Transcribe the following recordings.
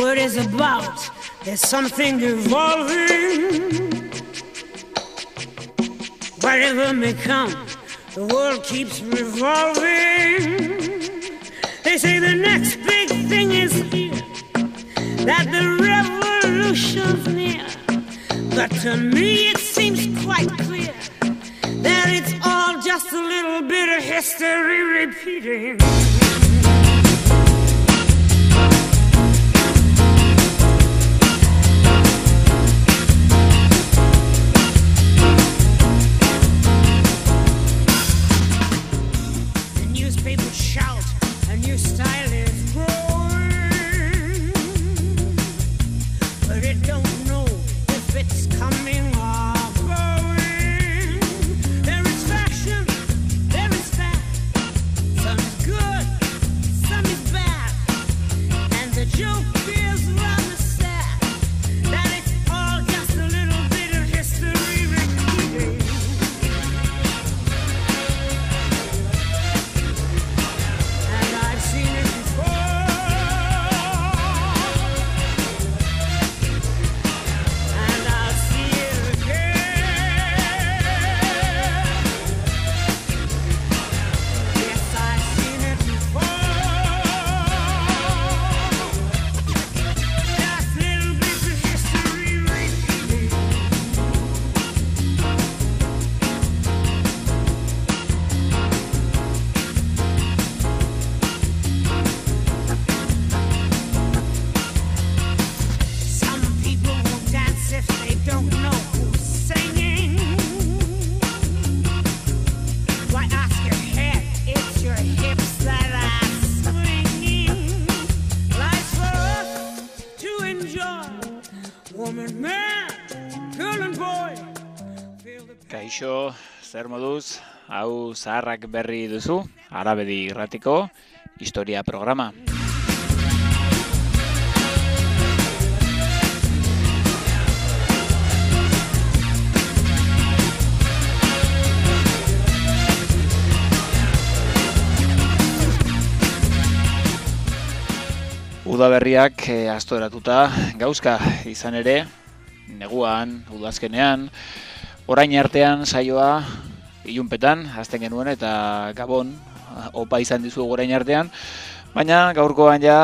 word is about. There's something evolving. Whatever may come, the world keeps revolving. They say the next big thing is here, that the revolution's near. But to me it seems quite clear that it's all just a little bit of history repeating. The newspapers shout, a new style is growing, but it don't know if it's coming or going. There is fashion, there is fat, some is good, some is bad, and the joke is rather sad that it's all just a little bit of history repeating. And I've seen it before, and I'll see it again. Yes, I've seen it before. Just little bits of history repeating. Some people won't dance if they don't know who's singing. Why ask your head? It's your hips that are swinging. Life's for us to enjoy. Woman, man, girl and boy. Feel the Kaixo, zer moduz, hau zaharrak berri duzu, Arabedi Irratiko historia programa. Udaberriak astoratuta gauzka izan ere, neguan, udazkenean, orain artean saioa ilunpetan hasten genuen eta Gabon opa izan dizugu orain artean, baina gaurkoan ja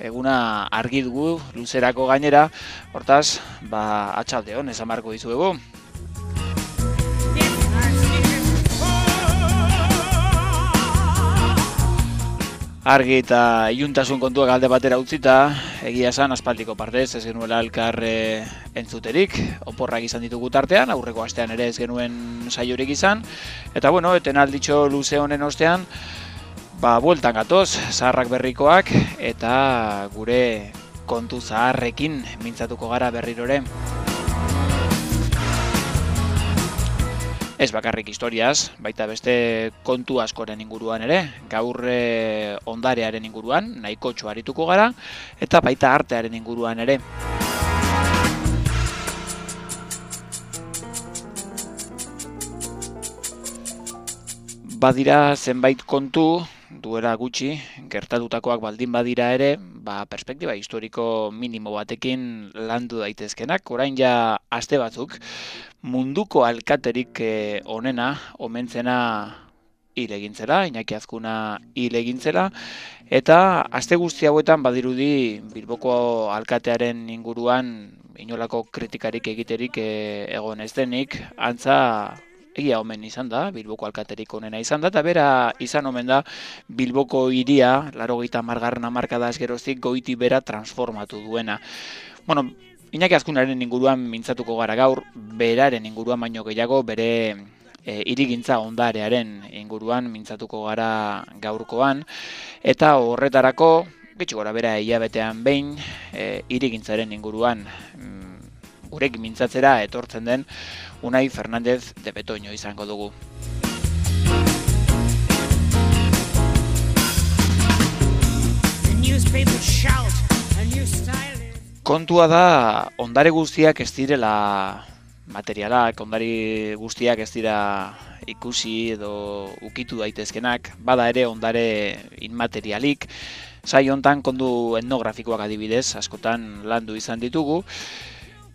eguna argi dugu luzerako gainera, hortaz, atxaldeon esan marko dizuegu. Argi eta iluntasun kontuak alde batera utzita, egia esan aspaldiko partez ez genuela elkar entzuterik, oporrak izan ditugu tartean, aurreko astean ere ez genuen saiorik izan, eta bueno, etenalditxo luze honen ostean, bueltan gatoz, zaharrak berrikoak, eta gure kontu zaharrekin mintzatuko gara berrirore. Ez bakarrik historiaz, baita beste kontu askoren inguruan ere, gaur ondarearen inguruan, nahiko txuarituko gara, eta baita artearen inguruan ere. Badira zenbait kontu, duela gutxi, gertatutakoak baldin badira ere, perspektiba historiko minimo batekin landu daitezkenak, orain ja aste batzuk, munduko alkaterik onena, omentzena hil egintzela, Iñaki Azkuna hil egintzela, eta aste guzti hauetan badirudi Bilboko alkatearen inguruan inolako kritikarik egiterik egon ez denik, antza egia omen izan da, Bilboko alkaterik onena izan da, eta bera izan omen da Bilboko hiria, 80. hamarkadaz geroztik goiti bera transformatu duena. Bueno, Iñaki Azkunaren inguruan mintzatuko gara gaur, beraren inguruan baino gehiago, bere hirigintza ondarearen inguruan mintzatuko gara gaurkoan, eta horretarako, gitxi gora bera hilabetean behin, hirigintzaren inguruan gurekin mintzatzera etortzen den Unai Fernández de Betoño izango dugu. Kontua da, ondare guztiak ez direla materialak, ondari guztiak ez dira ikusi edo ukitu daitezkenak, bada ere ondare inmaterialik. Saio hontan kondu etnografikoak adibidez, askotan landu izan ditugu.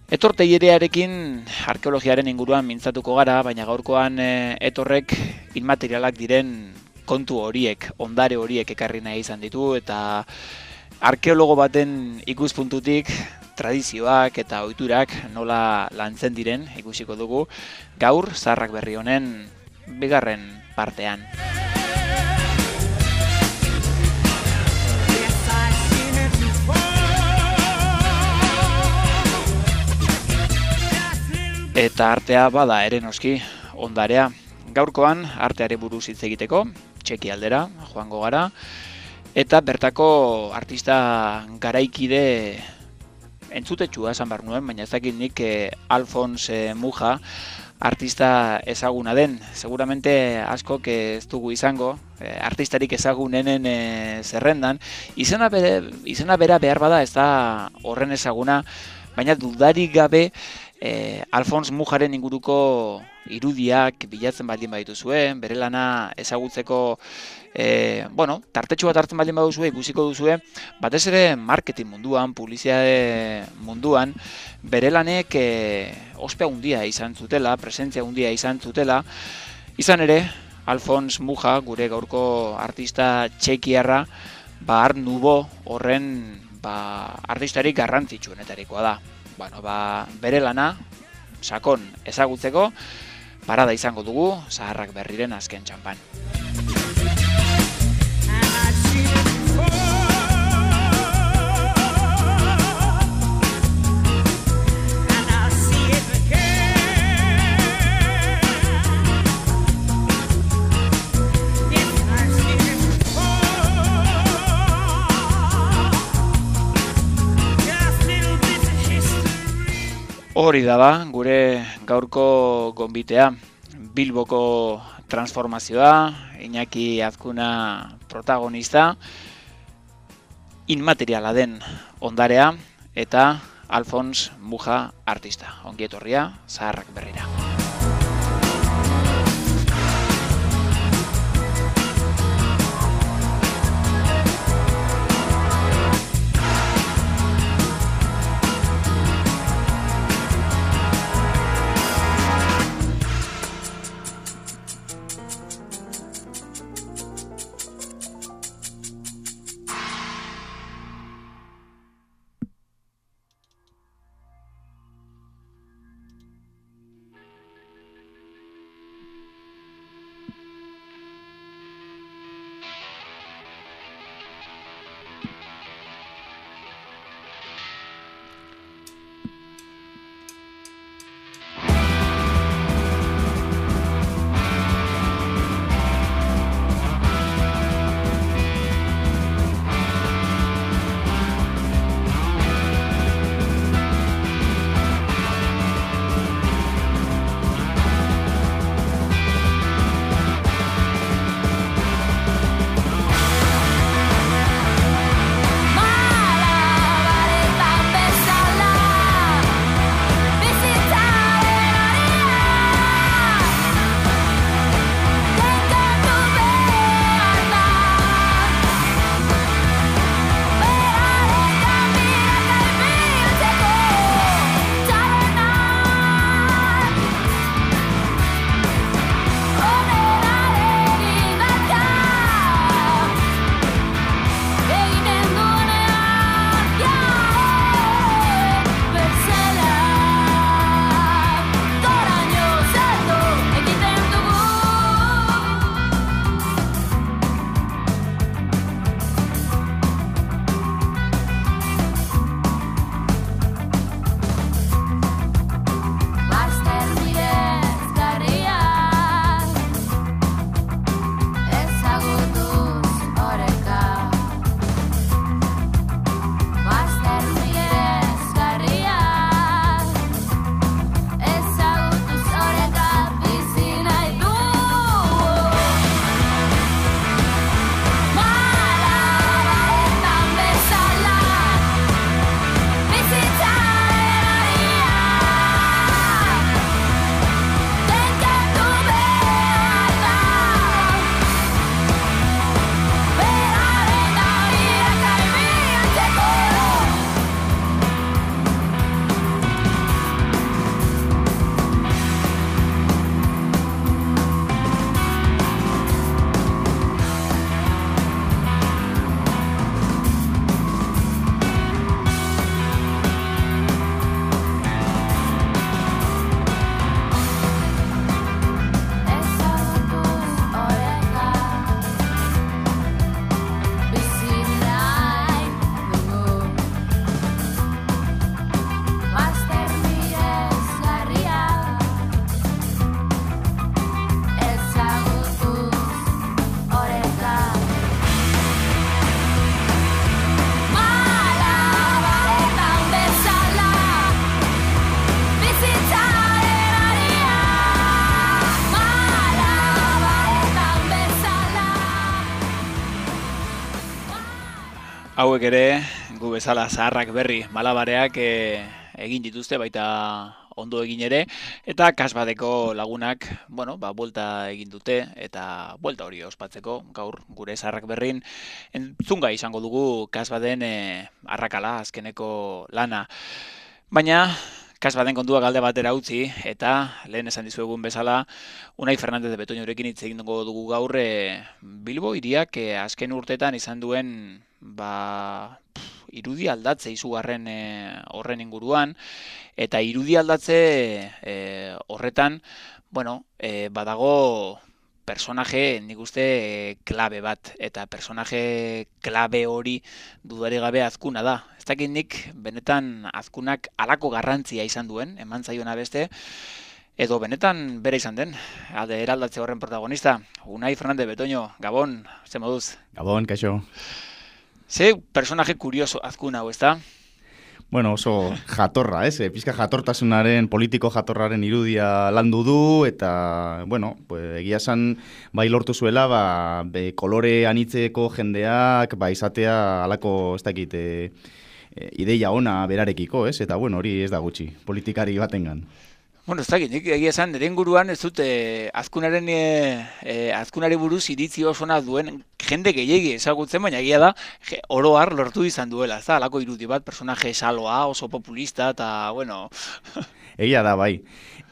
Etorteilearekin arkeologiaren inguruan mintzatuko gara, baina gaurkoan etorrek inmaterialak diren kontu horiek, ondare horiek ekarri nahi izan ditu, eta arkeologo baten ikuspuntutik tradizioak eta ohiturak nola lantzen diren ikusiko dugu gaur Zaharrak Berri honen bigarren partean. Eta artea bada ere noski ondarea. Gaurkoan arteari buruz hitz egiteko, Txeki aldera joango gara, eta bertako artista garaikide entzutetsua esan behar nuen, baina ez dakit nik Alfons Mucha artista ezaguna den. Seguramente askok ez dugu izango, artistarik ezagunenen zerrendan. Izena bera behar bada ez da horren ezaguna, baina dudarik gabe Alfons Mucharen inguruko irudiak bilatzen baldin badituzue, bere lana ezagutzeko tartetxo bat hartzen baldin baduzue, ikusiko duzue, batez ere marketing munduan, publizitate munduan, bere lanek ospe handia izan zutela, presentzia handia izan zutela. Izan ere, Alfons Mucha, gure gaurko artista txekiarra, Art Nouveau horren artistarik garrantzitsuenetarikoa da. Bere lana sakon ezagutzeko parada izango dugu Zaharrak Berriren azken txanpan. Hori da gure gaurko gonbitea, Bilboko transformazioa, Iñaki Azkuna protagonista, inmateriala den ondarea, eta Alfons Mucha artista. Ongi etorria Zaharrak Berrira. Hauek ere, gu bezala zaharrak berri malabareak egin dituzte, baita ondo egin ere, eta kasbadeko lagunak, buelta egin dute, eta buelta hori ospatzeko, gaur gure zaharrak berrin, entzunga izango dugu kasbaden arrakala, azkeneko lana. Baina, kasbaden kontua galde batera utzi, eta lehen esan dizuegun bezala, Unai Fernandez de Betoñorekin hitz egin dugu gaur Bilbo hiriak azken urtetan izan duen irudi aldatze izugarren horren inguruan, eta irudi aldatze horretan, badago personaje, nik uste, klabe bat, eta personaje klabe hori dudari gabe Azkuna da. Ez dakit nik, benetan Azkunak halako garrantzia izan duen, eman zaiona beste, edo benetan bere izan den, eraldatze horren protagonista. Unai Fernandez Betoño, Gabon, ze moduz? Gabon, kaixo. Ze personaje kurioso Azkuna hau, ez da? Bueno, oso jatorra, pizka jatortasunaren, politiko jatorraren irudia landu du, eta, egia esan, bai lortu zuela, kolore anitzeko jendeak, izatea alako, ez dakit, ideia ona berarekiko, eta, hori ez da gutxi, politikari batengan. Ez dakit, nik egia esan, nire inguruan ez dut Azkunari buruz iritzi osona duen jende gehiegi ezagutzen, baina egia da oro har lortu izan duela, ez da, alako irudi bat, personaje saloa, oso populista, eta, Egia da, bai.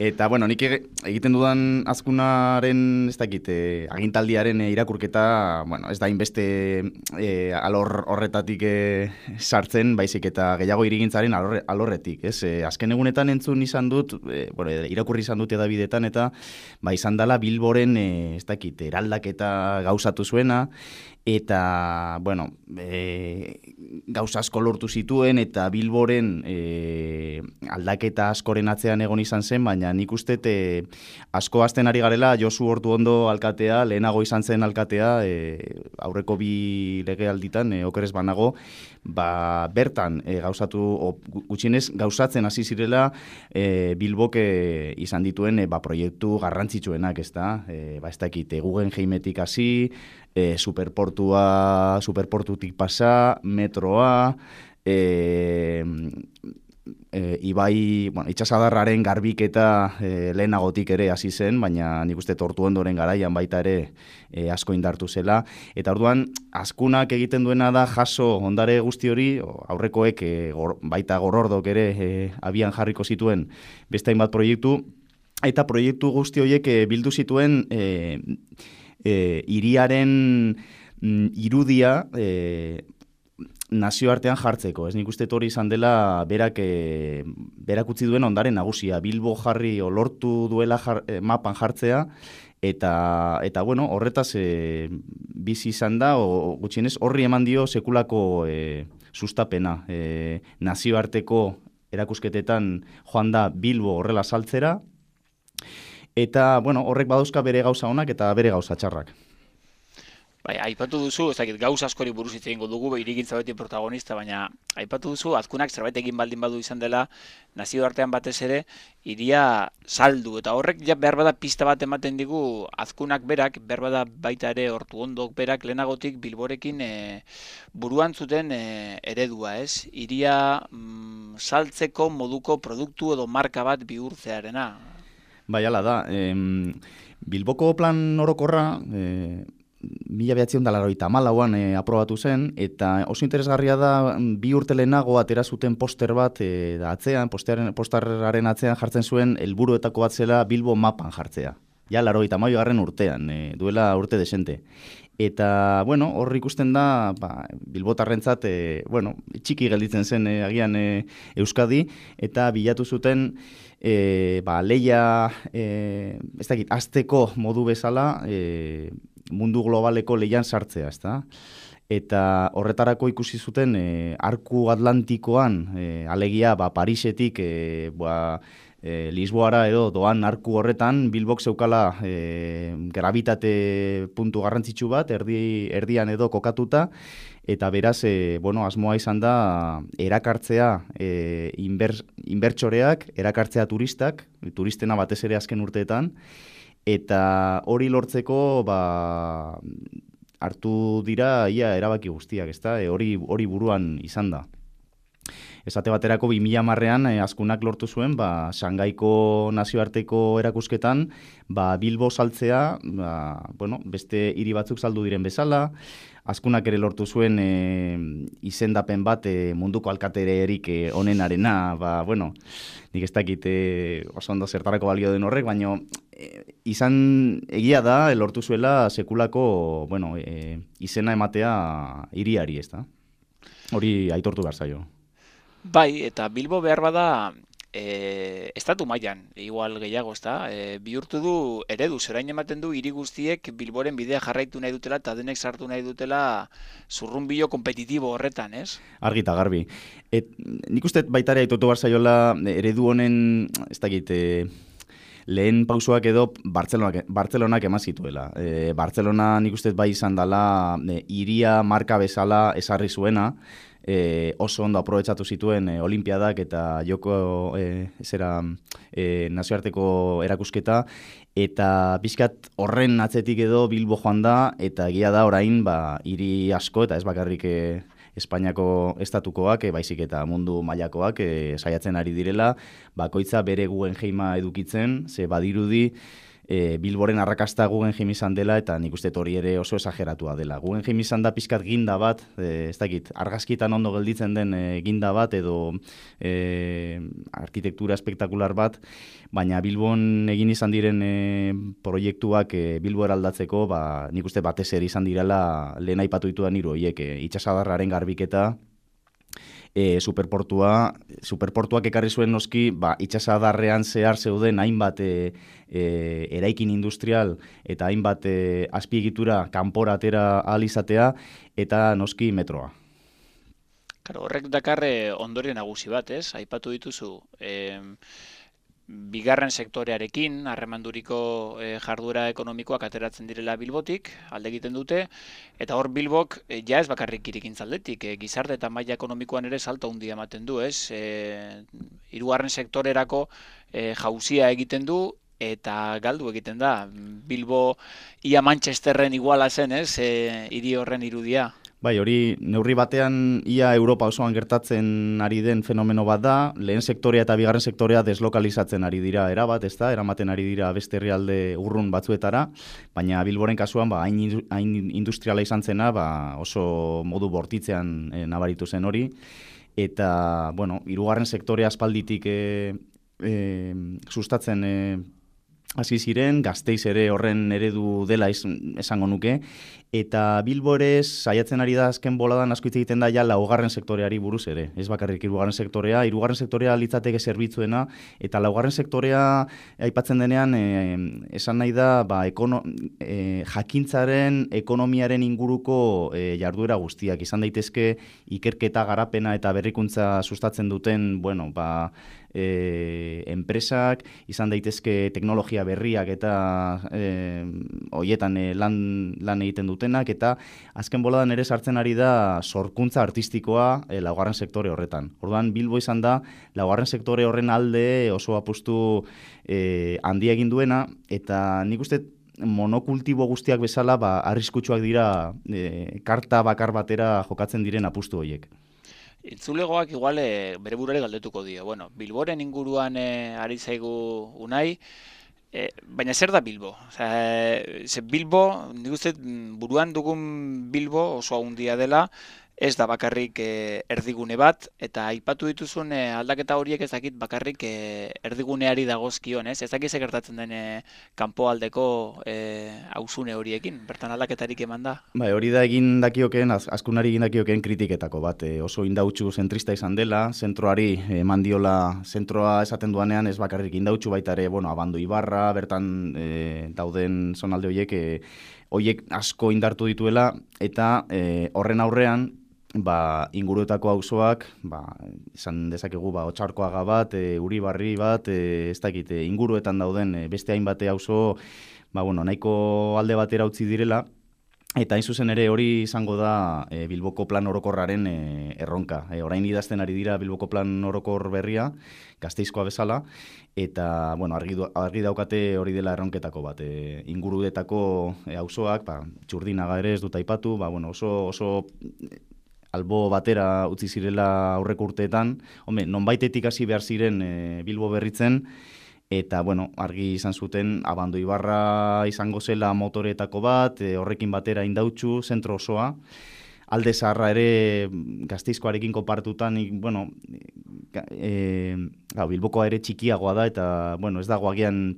Eta, nik egiten dudan Azkunaren, ez dakit, agintaldiaren irakurketa, ez da inbeste alor horretatik sartzen, baizik eta gehiago irigintzaren alorretik, ez? Azken egunetan entzun izan dut, irakurri izan dut edabidetan, eta izan dela Bilboren, ez dakit, eraldaketa gauzatu zuena, eta, gauza asko lortu zituen, eta Bilboren aldaketa askoren atzean egon izan zen, baina nik uste asko azten ari garela Josu Ortuondo alkatea, lehenago izan zen alkatea, aurreko bi legealditan, okerez banago, bertan gutxienez gauzatzen hasi zirela Bilbok izan dituen proiektu garrantzitsuenak, ez da? Ez dakit, Guggenheimetik hasi, superportutik pasa, metroa, ibai, itxasadarraren garbiketa lehenagotik ere hasi zen, baina nik uste Ortuondoren garaian baita ere asko indartu zela. Eta orduan, Azkunak egiten duena da jaso ondare guzti hori, aurrekoek baita Gorordok ere abian jarriko zituen beste hainbat proiektu, eta proiektu guzti horiek bildu zituen hiriaren irudia nazioartean jartzeko. Ez nik uste hori izan dela berak utzi duen ondare nagusia. Bilbo jarri lortu duela mapan jartzea, eta horretaz bizi izan da, gutxienez horri eman dio sekulako sustapena. Nazioarteko erakusketetan joan da Bilbo horrela saltzera, eta horrek badauzka bere gauza onak eta bere gauza txarrak. Aipatu duzu, ez dakit, gauza askori buruz hitz egingo dugu, hirigintza beti protagonista, baina aipatu duzu, Azkunak zerbait egin baldin badu izan dela, nazioartean batez ere, hiria saldu, eta horrek ja behar bada pista bat ematen digu, Azkunak berak, behar bada baita ere Ortuondok berak lehenagotik Bilborekin buruan zuten eredua, ez? Hiria saltzeko moduko produktu edo marka bat bihurtzearena. Bai, hala da. Bilboko plan orokorra 1984an aprobatu zen, eta oso interesgarria da 2 urte lehenago atera zuten poster bat atzean, posterraren atzean jartzen zuen helburuetako bat zela Bilbo mapan jartzea. Ja, 82garren urtean, duela urte desente. Eta, hor ikusten da, Bilbotarrentzat, txiki gelditzen zen agian Euskadi, eta bilatu zuten leia, ez dakit, azteko modu bezala, mundu globaleko leian sartzea, ez da? Eta horretarako ikusi zuten arku atlantikoan, alegia Parisetik Lisboara edo doan arku horretan, Bilbok zeukala gravitate puntu garrantzitsu bat, erdian edo kokatuta, eta beraz, asmoa izan da erakartzea inbertsoreak, erakartzea turistena batez ere azken urteetan, eta hori lortzeko hartu dira ia erabaki guztiak, ezta? Hori buruan izan da. Esate baterako 2010ean Azkunak lortu zuen Shangaiko nazioarteko erakusketan Bilbo saltzea, beste hiri batzuk saldu diren bezala. Azkunak ere lortu zuen izendapen bat munduko alkatererik onenarena, nik ez dakit oso ondo zertarako balio den horrek, baina izan egia da lortu zuela sekulako izena ematea hiriari, ez da? Hori aitortu behar zaio. Bai, eta Bilbo behar bada estatu mailan, igual gehiago, ezta? Bihurtu du eredu, zerain ematen du hiri guztiek Bilboren bidea jarraitu nahi dutela eta denek sartu nahi dutela zurrunbilo kompetitibo horretan, ez? Argi eta garbi. Nik uste baitare aitortu behar zaiola eredu honen, ez dakit, lehen pausoak edo Bartzelonak eman zituela. Bartzelona nik uste bai izan dela hiria marka bezala esarri zuena, oso ondo aprobetxatu zituen olimpiadak eta joko nazioarteko erakusketa, eta pixkat horren atzetik edo Bilbo joan da, eta egia da orain hiri asko, eta ez bakarrik Espainiako estatukoak, baizik eta mundu mailakoak saiatzen ari direla, bakoitza bere Guggenheima edukitzen, ze badirudi Bilboren arrakasta Guggenheim izan dela, eta nik uste hori ere oso esageratua dela. Guggenheim izan da pizkat ginda bat, ez dakit, argazkitan ondo gelditzen den ginda bat, edo arkitektura espektakular bat, baina Bilbon egin izan diren proiektuak Bilbo eraldatzeko, nik uste batez ere izan direla lehen aipatu ditudan hiru horiek, itsasadarraren garbiketa, superportuak ekarri zuen noski, itsasadarrean zehar zeuden hainbat eraikin industrial eta hainbat azpiegitura kanpora atera ahal izatea, eta noski metroa. Horrek dakar ondorio nagusi bat, ez? Aipatu dituzu, bigarren sektorearekin, harremanduriko jarduera ekonomikoak ateratzen direla Bilbotik, alde egiten dute, eta hor Bilbok ja ez bakarrik hirigintzaldetik, gizarte eta maila ekonomikoan ere salto handia ematen du, ez? Hirugarren sektorerako jauzia egiten du, eta galdu egiten da. Bilbo ia Manchesterren iguala zen, ez? Hiri horren irudia. Bai, hori neurri batean ia Europa osoan gertatzen ari den fenomeno bat da, lehen sektorea eta bigarren sektorea deslokalizatzen ari dira erabat, ez da, eramaten ari dira beste herrialde urrun batzuetara, baina Bilboren kasuan hain industriala izan zena, oso modu bortitzean nabaritu zen hori, eta, hirugarren sektorea aspalditik sustatzen hasi ziren, Gasteiz ere horren eredu dela esango nuke, eta Bilbo ere saiatzen ari da azken boladan asko hitz egiten da ja laugarren sektoreari buruz ere. Ez bakarrik hirugarren sektorea litzateke zerbitzuena, eta laugarren sektorea aipatzen denean esan nahi da jakintzaren, ekonomiaren inguruko jarduera guztiak. Izan daitezke ikerketa, garapena eta berrikuntza sustatzen duten, enpresak, izan daitezke teknologia berriak eta hoietan lan egiten dutenak, eta azken boladan ere sartzen ari da sorkuntza artistikoa laugarren sektore horretan. Orduan Bilbo izan da laugarren sektore horren alde oso apustu handia egin duena, eta nik uste monokultibo guztiak bezala arriskutsuak dira karta bakar batera jokatzen diren apustu horiek. Itzulegoak igual bere burare galdetuko dio. Bilboren inguruan ari zaigu Unai, baina zer da Bilbo? Bilbo, nik uste buruan dugun Bilbo oso handia dela, ez da bakarrik erdigune bat, eta aipatu dituzun aldaketa horiek ez dakit bakarrik erdiguneari dagozkion, ez? Ez dakit ze gertatzen den kanpoaldeko auzune horiekin, bertan aldaketarik eman da? Hori da egin dakioken, Azkunari egin dakioken kritiketako bat, oso indautxu zentrista izan dela, zentroari eman diola, zentroa esaten duanean ez bakarrik indautxu baita ere, Abando Ibarra, bertan dauden zonalde horiek asko indartu dituela, eta horren aurrean, inguruetako auzoak, izan dezakegu Otxarkoaga bat, Uribarri bat, ez dakit, inguruetan dauden beste hainbate auzo, nahiko alde batera utzi direla, Eta hain zuzen ere hori izango da Bilboko plan orokorraren erronka. Orain idazten ari dira Bilboko plan orokor berria, Gasteizkoa bezala, eta bueno, argi daukate hori dela erronketako bat. Ingurudetako auzoak, Txurdinaga ere ez dut aipatu, bueno, oso albo batera utzi zirela aurreko urteetan. Nonbaitetik hasi behar ziren Bilbo berritzen, eta, bueno, argi izan zuten, Abando Ibarra izango zela motoretako bat, horrekin batera Indautxu, zentro osoa. Alde Zaharra ere Gasteizkoarekin konparatutan, bueno, Bilbokoa ere txikiagoa da, eta, bueno, ez dago agian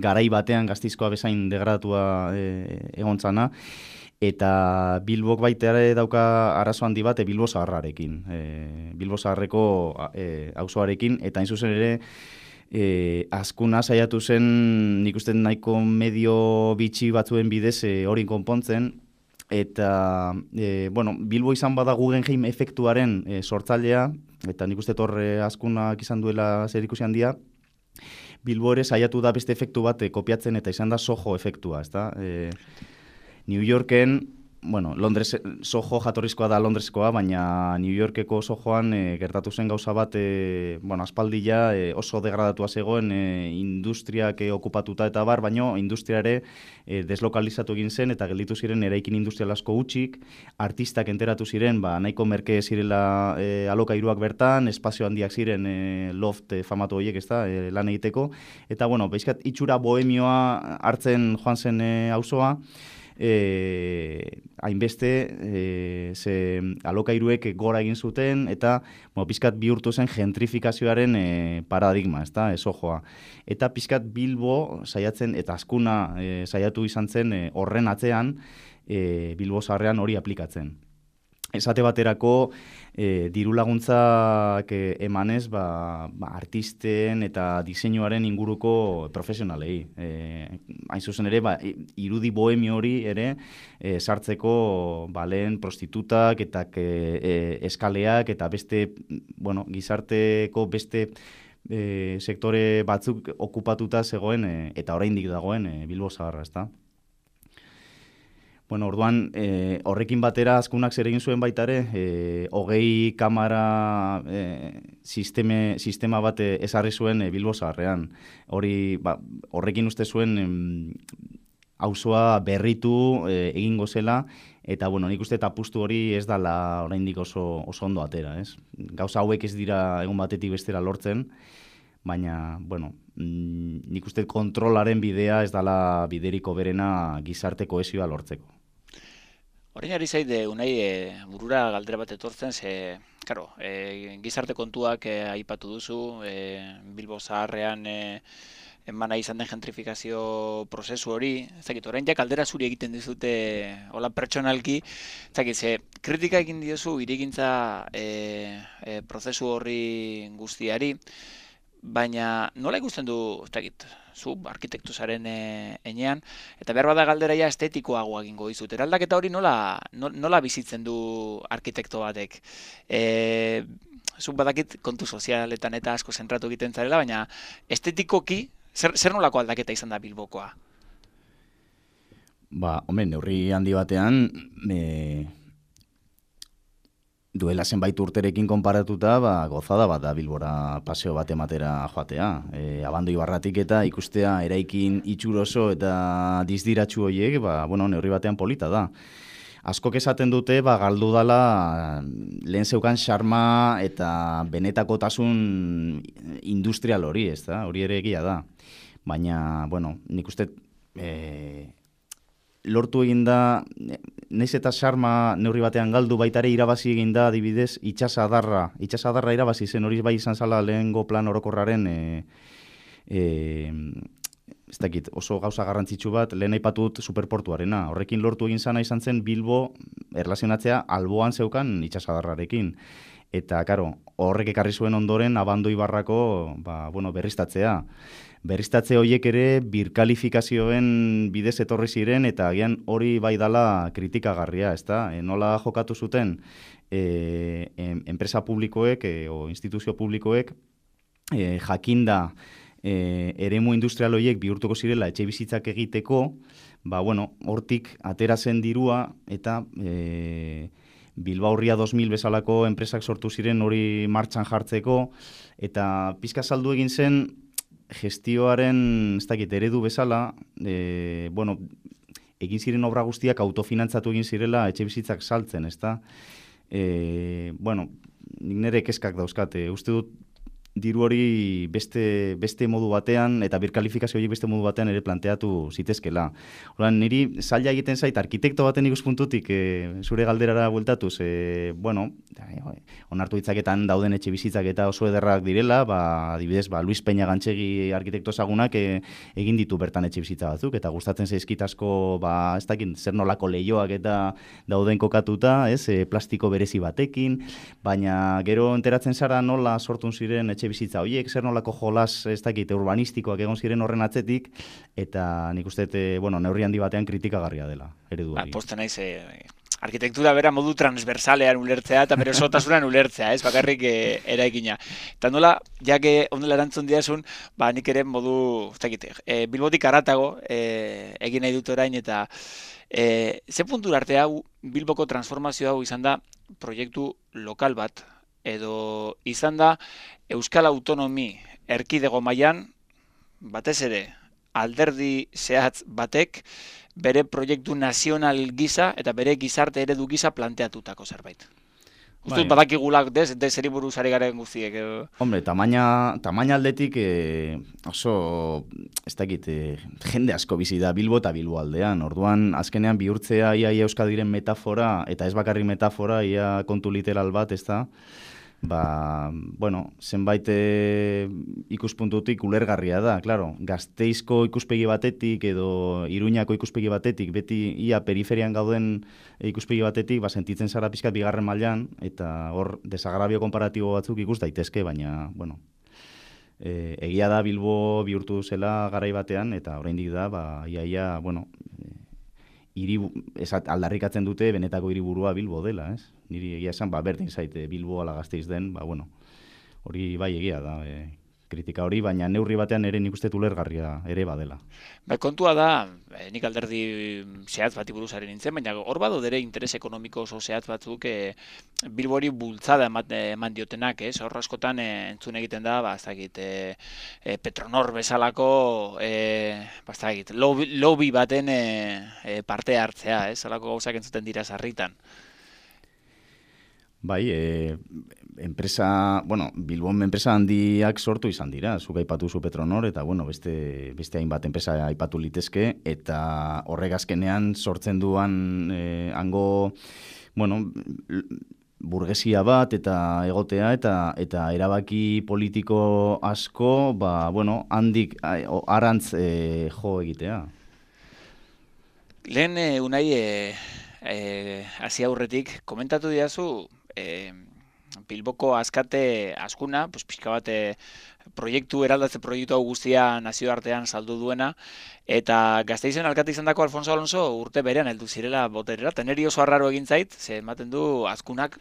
garai batean Gasteizkoa bezain degradatua egontzana. Eta Bilbok baita ere dauka arazo handi bat Bilbo Zaharrarekin, Bilbo Zaharreko auzoarekin, eta hain zuzen ere, azkuna saiatu zen nik uste nahiko medio bitxi batzuen bidez hori konpontzen, eta bueno, Bilbo izan bada Guggenheim efektuaren sortzailea, eta nik uste torre azkunak izan duela zerikusi handia, Bilbo ere saiatu da beste efektu bat kopiatzen, eta izan da Soho efektua, ezta? New Yorken, bueno, Soho jatorrizkoa da Londreskoa, baina New Yorkeko Sohoan gertatu zen gauza bat, bueno, aspaldila oso degradatua zegoen industriak okupatuta eta baino industria ere deslokalizatu egin zen, eta gelditu ziren eraikin industrial asko hutsik, artistak enteratu ziren, nahiko merke zirela alokairuak bertan, espazio handiak ziren loft famatu horiek, ez da, lan egiteko, eta, bueno, bezkat itxura bohemioa hartzen joan zen auzoa, hainbeste ze alokairuek gora egin zuten, eta pizkat bihurtu zen gentrifikazioaren paradigma, ez da, Sohoa. Eta pizkat Bilbo saiatzen, eta azkuna saiatu izan zen horren atzean Bilbo Zaharrean hori aplikatzen. Esate baterako diru laguntzak emanez artisten eta diseinuaren inguruko profesionalei. Hain zuzen ere, irudi bohemio hori ere sartzeko lehen prostitutak eta eskaleak eta beste, bueno, gizarteko beste sektore batzuk okupatuta zegoen eta oraindik dagoen Bilbo Zaharra, ezta? Bueno, orduan, horrekin batera azkunak zer egin zuen baita ere, 20 kamara sistema bat ezarri zuen Bilbo Zaharrean. Horrekin uste zuen auzoa berritu egingo zela, eta, bueno, nik uste apustu hori ez dala oraindik oso ondo atera, ez? Gauza hauek ez dira egun batetik bestera lortzen, baina, bueno, nik uste kontrolaren bidea ez dala bideriko berena gizarte kohesioa lortzeko. Orain ari zaide, unai, burura galdera bat etortzen, karo, gizarte kontuak aipatu duzu, Bilbo Zaharrean emana izan den gentrifikazio prozesu hori, ezakit, orain jak galdera zuri egiten dizute hola pertsonalki, ezakit, kritika egin diozu hirigintza prozesu horri guztiari, baina nola ikusten du, ezakit, zu arkitektu zaren enean, eta behar bada galderaia estetikoagoa egingo dizut. Eraldaketa hori nola bizitzen du arkitekto batek? Zu badakit kontu sozialetan eta asko zentratu egiten zarela, baina estetikoki, zer nolako aldaketa izan da Bilbokoa? Neurri handi batean, duela zenbait urterekin konparatuta, gozada bat da Bilbora paseo bat ematera joatea. Abando Ibarratik eta ikustea eraikin itxuroso eta dizdiratxu horiek, neurri batean polita da. Askok esaten dute, galdu dala lehen zeukan xarma eta benetakotasun industrial hori, ez da? Hori ere egia da. Baina, nik uste lortu egin da, naiz eta xarma neurri batean galdu, baitare irabazi egin da, adibidez, itxasadarra irabazi zen, hori bai izan zala lehengo plan orokorraren, ez dakit, oso gauza garrantzitsu bat, lehen aipatut superportuarena. Horrekin lortu egin zana izan zen Bilbo erlazionatzea alboan zeukan itxasadarrarekin. Eta, karo, horrek ekarri zuen ondoren Abando Ibarrako, berriztatzea. Berriztatze horiek ere birkalifikazioen bidez etorri ziren, eta agian hori bai dala kritikagarria, ezta? Nola jokatu zuten enpresa publikoek o instituzio publikoek jakinda eremu industrial horiek bihurtuko zirela etxe bizitzak egiteko, hortik atera zen dirua eta Bilbao Ria 2000 bezalako enpresak sortu ziren hori martxan jartzeko, eta pizka saldu egin zen gestioaren, ez dakit, eredu bezala, egin ziren obra guztiak autofinantzatu egin zirela etxe bizitzak saltzen, ezta? Nik nire kezkak dauzkate. Uste dut diru hori beste modu batean, eta birkalifikazio horiek beste modu batean ere planteatu zitezkela. Horan, niri zaila egiten zait, arkitekto baten ikuspuntutik zure galderara bueltatuz, onartu ditzaketan dauden etxe bizitzak eta oso ederrak direla, adibidez, Luis Peña Gantxegi arkitekto ezagunak egin ditu bertan etxe bizitza batzuk, eta gustatzen zaizkit asko, ez dakit, zer nolako leioak eta dauden kokatuta, plastiko berezi batekin, baina gero enteratzen zara nola sortun ziren etxe bizitza horiek, zer nolako jolas, ez dakit, urbanistikoak egon ziren horren atzetik, eta nik uste, neurri handi batean kritikagarria dela, eredu hori. Posta naiz, arkitektura bera modu transversalean ulertzea eta bere osotasunan ulertzea, ez bakarrik eraikina. Eta nola, jake ondela erantzun diazun, nik ere modu, ez dakit, Bilbotik haratago egin nahi dut orain, eta ze puntura arte hau, Bilboko transformazio hau izan da proiektu lokal bat, edo izan da Euskal Autonomi erkidego mailan batez ere alderdi zehatz batek bere proiektu nazional gisa eta bere gizarte eredu gisa planteatutako zerbait. Uste dut badakigulak zeri buruz ari garen guztiek. Hombre, tamaina aldetik oso, ez dakit, jende asko bizi da Bilbo eta Bilbo aldean. Orduan, azkenean bihurtzea ia Euskadiren metafora, eta ez bakarrik metafora, ia kontu literal bat, ez da, zenbait ikuspuntutik ulergarria da, claro. Gasteizko ikuspegi batetik edo Iruñako ikuspegi batetik, beti ia periferian gauden ikuspegi batetik, sentitzen zara pixkat bigarren mailan, eta hor desagrabio komparatibo batzuk ikus daitezke, baina, egia da Bilbo bihurtu zela garai batean, eta oraindik da, aldarrikatzen dute benetako hiriburua Bilbo dela, ez? Niri egia esan, berdin zaite Bilbo ala Gasteiz den, hori bai egia da, kritika hori, baina neurri batean ere nik uste ulergarria ere badela. Kontua da, nik alderdi zehatz bati buruz ari nintzen, baina hor bado dere interes ekonomiko oso zehatz batzuk Bilbori bultzada eman diotenak, ez? Hor askotan entzun egiten da, Petronor bezalako lobby baten parte hartzea, ez? Halako gauzak entzuten dira sarritan. Bai, Bilbon enpresa handiak sortu izan dira, zuk aipatu zu Petronor, eta beste hainbat enpresa aipatu litezke, eta horrek azkenean sortzen duan hango, burgesia bat eta egotea, eta erabaki politiko asko, handik arantz jo egitea. Lehen, Unai, hasi aurretik, komentatu didazu, Bilboko askate askuna, pixka bat eraldatze proiektu hau guztia nazioartean saldu duena, eta Gasteizen alkate izan dako Alfonso Alonso urte berean heldu zirela boterera, eta niri oso arraro egin zait, ze ematen du azkunak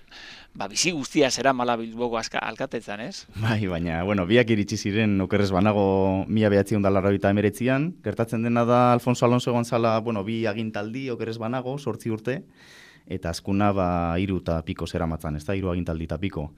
bizi guztia zera mala Bilboko alkatetzan, ez? Bai, baina, biak iritsi ziren okerrez banago 1989an, gertatzen dena da Alfonso Alonso egon zala, bi agintaldi okerrez banago, 8 urte, eta azkuna 3 eta piko zeramatzan, ez da, 3 agintaldi eta piko.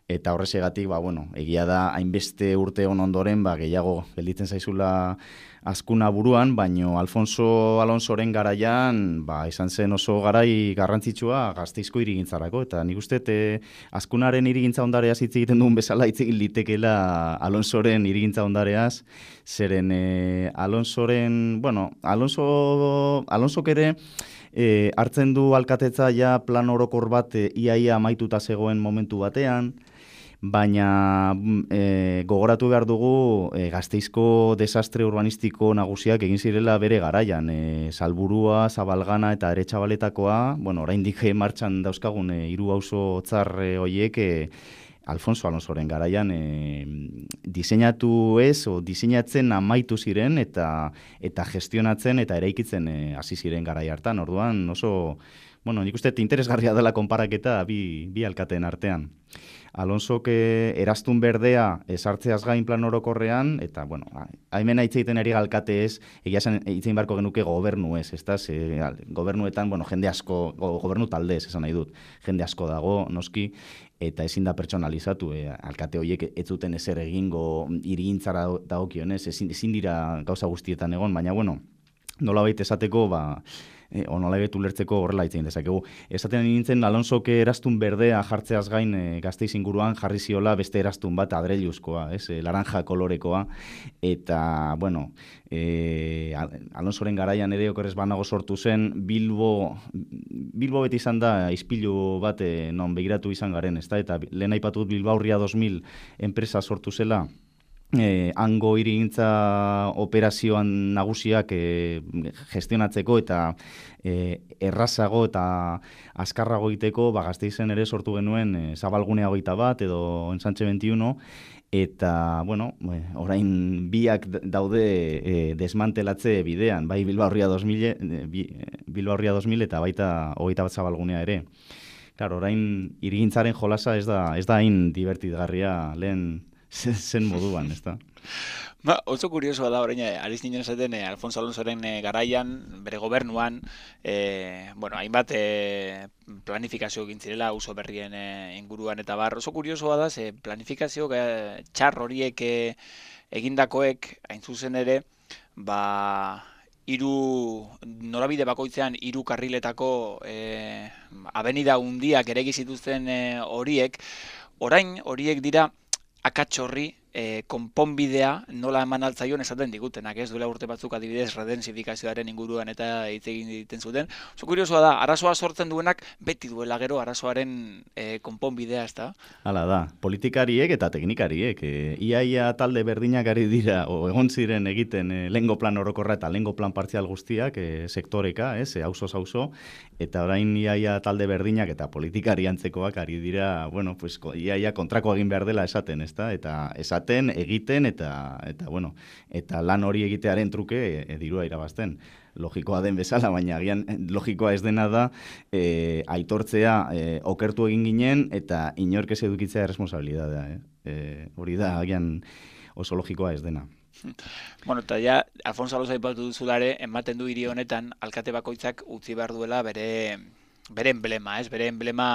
Eta horrezegatik, egia da, hainbeste urte ondoren, gehiago gelditzen zaizula azkuna buruan, baino Alfonso Alonsoren garaian, izan zen oso garai garrantzitsua Gasteizko hirigintzarako, eta nik uste azkunaren hirigintza ondareaz hitz egiten duen bezala hitz egin litekeela Alonsoren hirigintza ondareaz, zeren Alonsok ere hartzen du alkatetza ja plan orokor bat iaia amaituta zegoen momentu batean, baina gogoratu behar dugu Gasteizko desastre urbanistiko nagusiak egin zirela bere garaian. Salburua, Zabalgana eta Aretxabaletakoa, oraindik martxan dauzkagun 3 auzo tzar horiek Alfonso Alonsoren garaian diseinatu diseinatzen amaitu ziren eta gestionatzen eta eraikitzen hasi ziren garai hartan. Orduan oso, nik uste interesgarria dela konparaketa bi alkateen artean. Alonsok eraztun berdea esartzeaz gain plan orokorrean, eta, bueno, haimena hitzeiten ari alkate ez, egia zen hitzein barko genuke gobernu ez, gobernuetan, bueno, jende asko, gobernu talde ez, esan nahi dut, jende asko dago, noski, eta ezin da pertsonalizatu, alkate horiek ez zuten ezer egingo hirigintzara dagokionez, ezin dira gauza guztietan egon, baina, bueno, nolabait esateko, nolabait ulertzeko horrela hitzein dezakegu. Esaten nintzen, Alonsok eraztun berdea jartzeaz gain Gasteiz inguruan jarri ziola beste eraztun bat adreiluzkoa, laranja kolorekoa, eta, bueno, Alonsoren garaian ere okerrez banago sortu zen, Bilbo beti izan da ispilu bat non begiratu izan garen, ezta? Eta lehen aipatut Bilbaurria 2000 enpresa sortu zela, hango hirigintza operazioan nagusiak gestionatzeko eta errazago eta azkarrago egiteko, Gasteizen ere sortu genuen Zabalgunea 21 edo Ensantxe 21, eta, bueno, orain biak daude desmantelatze bidean, bai Bilbaurria 2000 eta baita 21 Zabalgunea ere. Claro, orain hirigintzaren jolasa ez da hain divertitgarria lehen zen moduan, ez da? Oso kuriosoa da, orain, ariz ninen esaten, Alfonso Alonsoren garaian, bere gobernuan, hainbat planifikazio egin zirela, auzo berrien inguruan eta bar. Oso kuriosoa da, planifikazio txar horiek egindakoek, hain zuzen ere, norabide bakoitzean 3 karriletako abenida hundiak eregi zituzten horiek, orain horiek dira akats horri konponbidea nola eman altzaion esaten digutenak, ez duela urte batzuk adibidez redensifikazioaren inguruan eta hitz egiten zuten. Oso kuriosoa da, arazoa sortzen duenak beti duela gero arazoaren konponbidea, ez da? Hala da, politikariek eta teknikariek, iaia talde berdinak ari dira, egon ziren egiten lehengo plan orokorra eta lehengo plan partzial guztiak, sektoreka, auzo, eta orain iaia talde berdinak eta politikari antzekoak ari dira, bueno, pues iaia kontrako egin behar dela esaten, ez da? Eta egiten eta lan hori egitearen truke dirua irabazten. Logikoa den bezala, baina agian logikoa ez dena da aitortzea okertu egin ginen eta inork ez edukitzea erresponsabilidadea. Hori da agian oso logikoa ez dena. Bueno, eta ja, Alfonso Alonso aipatu duzulare, ematen du hiri honetan alkate bakoitzak utzi behar duela bere emblema, bere emblema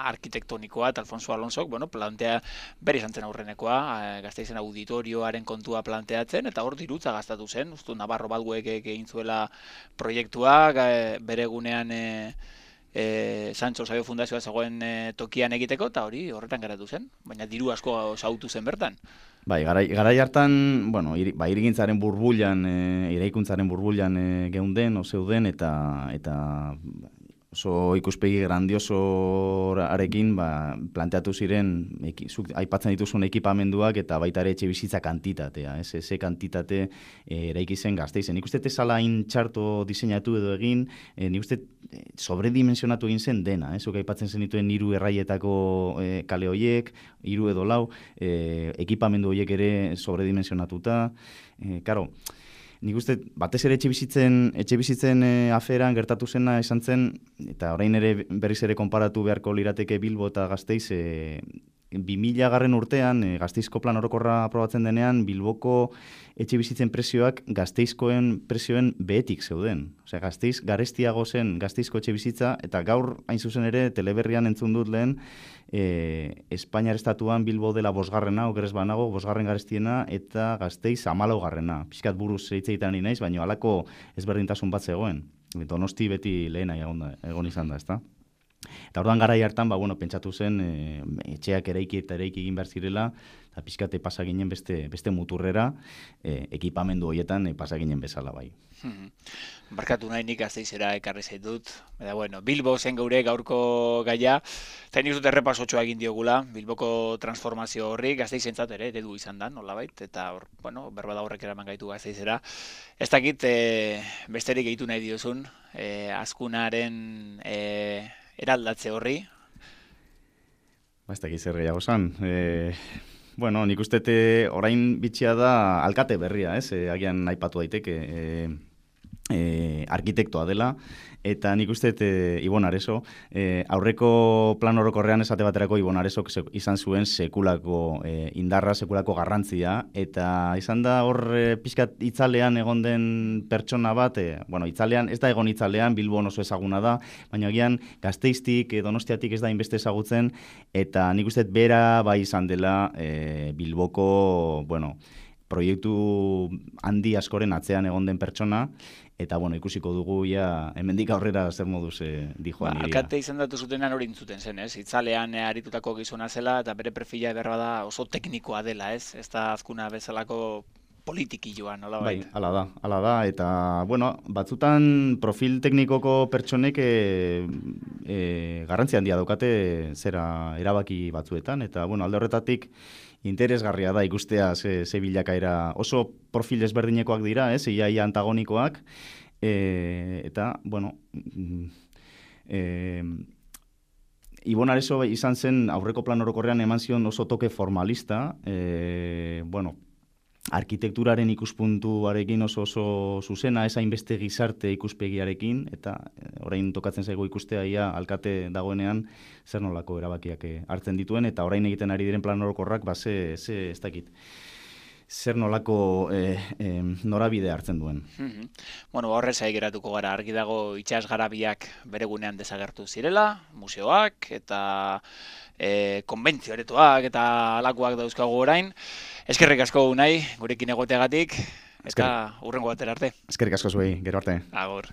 arkitektonikoa, eta Alfonso Alonsok, plantea bere izan zen aurrenekoa, Gasteizen auditorioaren kontua planteatzen, eta hor dirutza gastatu zen, ustu Navarro Balguek egin zuela proiektua, bere egunean Sancho Sabio Fundazioa zegoen tokian egiteko, eta hori horretan geratu zen, baina diru asko sautu zen bertan. Bai, garai hartan, hirigintzaren burbuilan, eraikuntzaren burbuilan geunden, zeuden, eta oso ikuspegi grandiosoarekin planteatu ziren aipatzen dituzun ekipamenduak eta baita ere etxe bizitza kantitatea, ze kantitate eraiki zen Gasteizen. Nik uste zala hain txarto diseinatu edo egin, nik uste sobredimensionatu egin zen dena, zuk aipatzen zenituen 3 erraietako kale horiek, 3 edo 4, ekipamendu horiek ere sobredimensionatuta, karo, nik uste, batez ere etxe bizitzen aferan gertatu zena esan zen, eta orain ere berriz ere konparatu beharko lirateke Bilbo eta Gasteiz, 2000 urtean, Gasteizko plan orokorra aprobatzen denean, Bilboko etxe bizitzen prezioak Gasteizkoen prezioen behetik zeuden. Osea, Gasteiz garestiago zen Gasteizko etxe bizitza, eta gaur hain zuzen ere teleberrian entzun dut lehen, Espainiar estatuan Bilbo dela 5. okerez banago, 5. garestiena, eta Gasteiz 14. Pixkat buruz hitzeiten ari naiz, baina halako ezberdintasun bat zegoen. Donosti beti lehena egon izan da, ezta? Eta orduan garai hartan, pentsatu zen etxeak eraiki egin behar zirela, eta pixkate pasaginen beste muturrera, ekipamendu horietan pasaginen bezala bai. Barkatu nahi nik Gasteizera ekarri zaitut. Bilbo zen geure gaurko gaia, eta nik dut errepasotxoa egin diogula, Bilboko transformazio horri, Gasteizentzat ere eredu izan da, nolabait, eta berbada horrek eraman gaitu Gasteizera. Ez dakit besterik gehitu nahi diozun, azkunaren eraldatze horri? Ez dakit zer gehiago zan. Nik uste orain bitxia da alkate berria, agian aipatu daiteke. arkitektoa dela, eta nik uste Ibon Areso, aurreko plan orokorrean esate baterako Ibon Aresok izan zuen sekulako indarra, sekulako garrantzia, eta izan da hor pixkat itzalean egon den pertsona bat, itzalean, ez da egon itzalean, Bilbon oso ezaguna da, baina agian Gasteiztik, Donostiatik ez da inbeste ezagutzen, eta nik uste bera bai izan dela Bilboko, proiektu handi askoren atzean egon den pertsona, eta ikusiko dugu hemendik aurrera zer moduz dijoan iria. Alkate izan datu zutenan hori intzuten zen, ez? Itzalean aritutako gizona zela, eta bere perfila berba da oso teknikoa dela, ez? Ez da azkuna bezalako politikilloa, nola bai? Bai, ala da, eta, batzutan profil teknikoko pertsonek garrantzi handia daukate zera erabaki batzuetan, eta, alde horretatik interesgarria da ikustea ze bilakaera oso profil ezberdinekoak dira, ia antagonikoak, eta, Ibon Areso izan zen aurreko plan orokorrean eman zion oso toke formalista, arkitekturaren ikuspuntuarekin oso zuzena, ez hainbeste gizarte ikuspegiarekin, eta orain tokatzen zaigu ikustea ia alkate dagoenean zer nolako erabakiak hartzen dituen, eta orain egiten ari diren plan orokorrak, ez dakit, zer nolako norabide hartzen duen. Horrez geratuko gara, argi dago itsas garabiak bere gunean desagertu zirela, museoak eta konbentzio aretoak eta alakoak dauzkagu orain. Eskerrik asko Unai, gurekin egoteagatik, eta hurrengo batera arte. Eskerrik asko zuei, gero arte. Agur.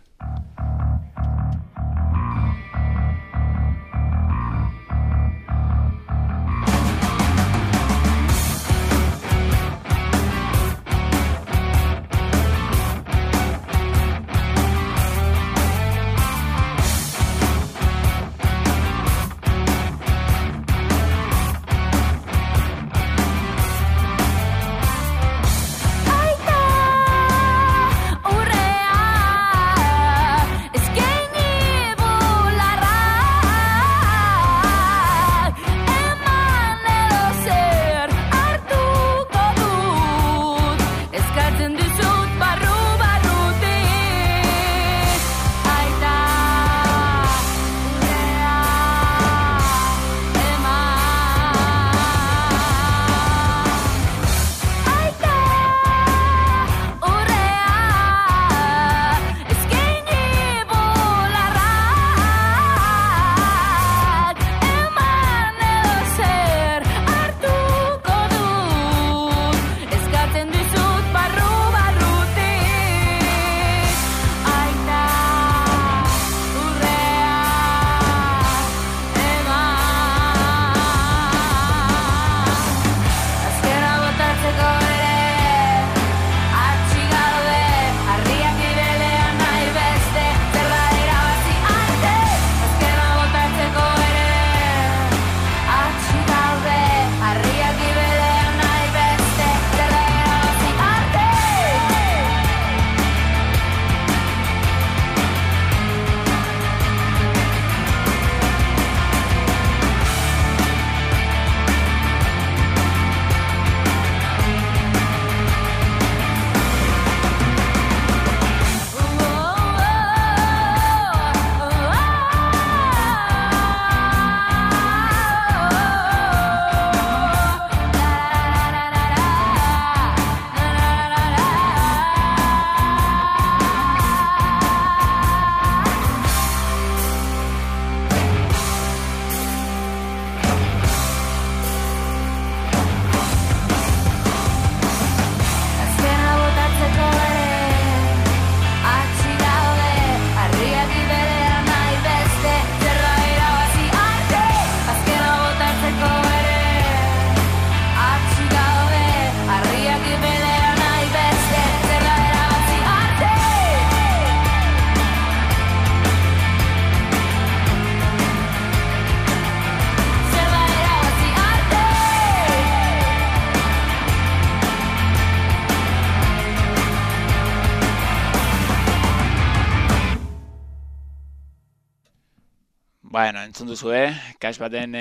Entzun duzue, Kax baten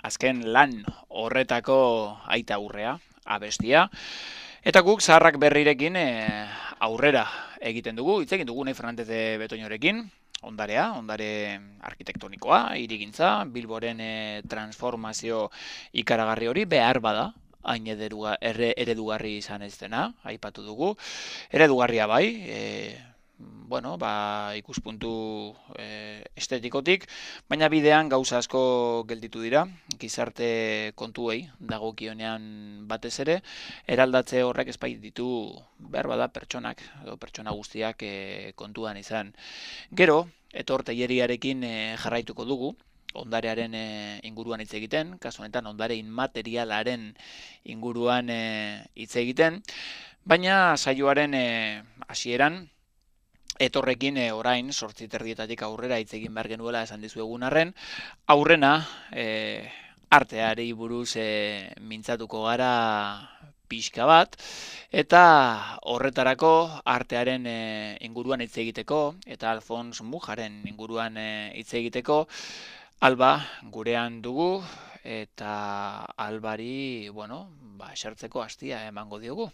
azken lan horretako aita aurrea, abestia. Eta guk zaharrak berrirekin aurrera egiten dugu, hitz egin dugu Unai Fernandez de Betoñorekin, ondare arkitektonikoa, hirigintza, Bilboren transformazio ikaragarri hori behar bada, hain eredugarri izan ez dena, aipatu dugu. Eredugarria bai, ikuspuntu estetikotik, baina bidean gauza asko gelditu dira, gizarte kontuei dagokionean batez ere, eraldatze horrek ezbait ditu behar bada pertsonak, edo pertsona guztiak kontuan izan. Gero, Etor Telleriarekin jarraituko dugu, ondarearen inguruan hitz egiten, kasu honetan ondare inmaterialaren inguruan hitz egiten, baina saioaren hasieran Etorrekin orain 8:30 aurrera hitz egin behar genuela esan dizuegun arren, aurrena arteari buruz mintzatuko gara pixka bat, eta horretarako artearen inguruan hitz egiteko, eta Alfons Mujaren inguruan hitz egiteko, Alba gurean dugu, eta Albari, esertzeko astia emango diogu.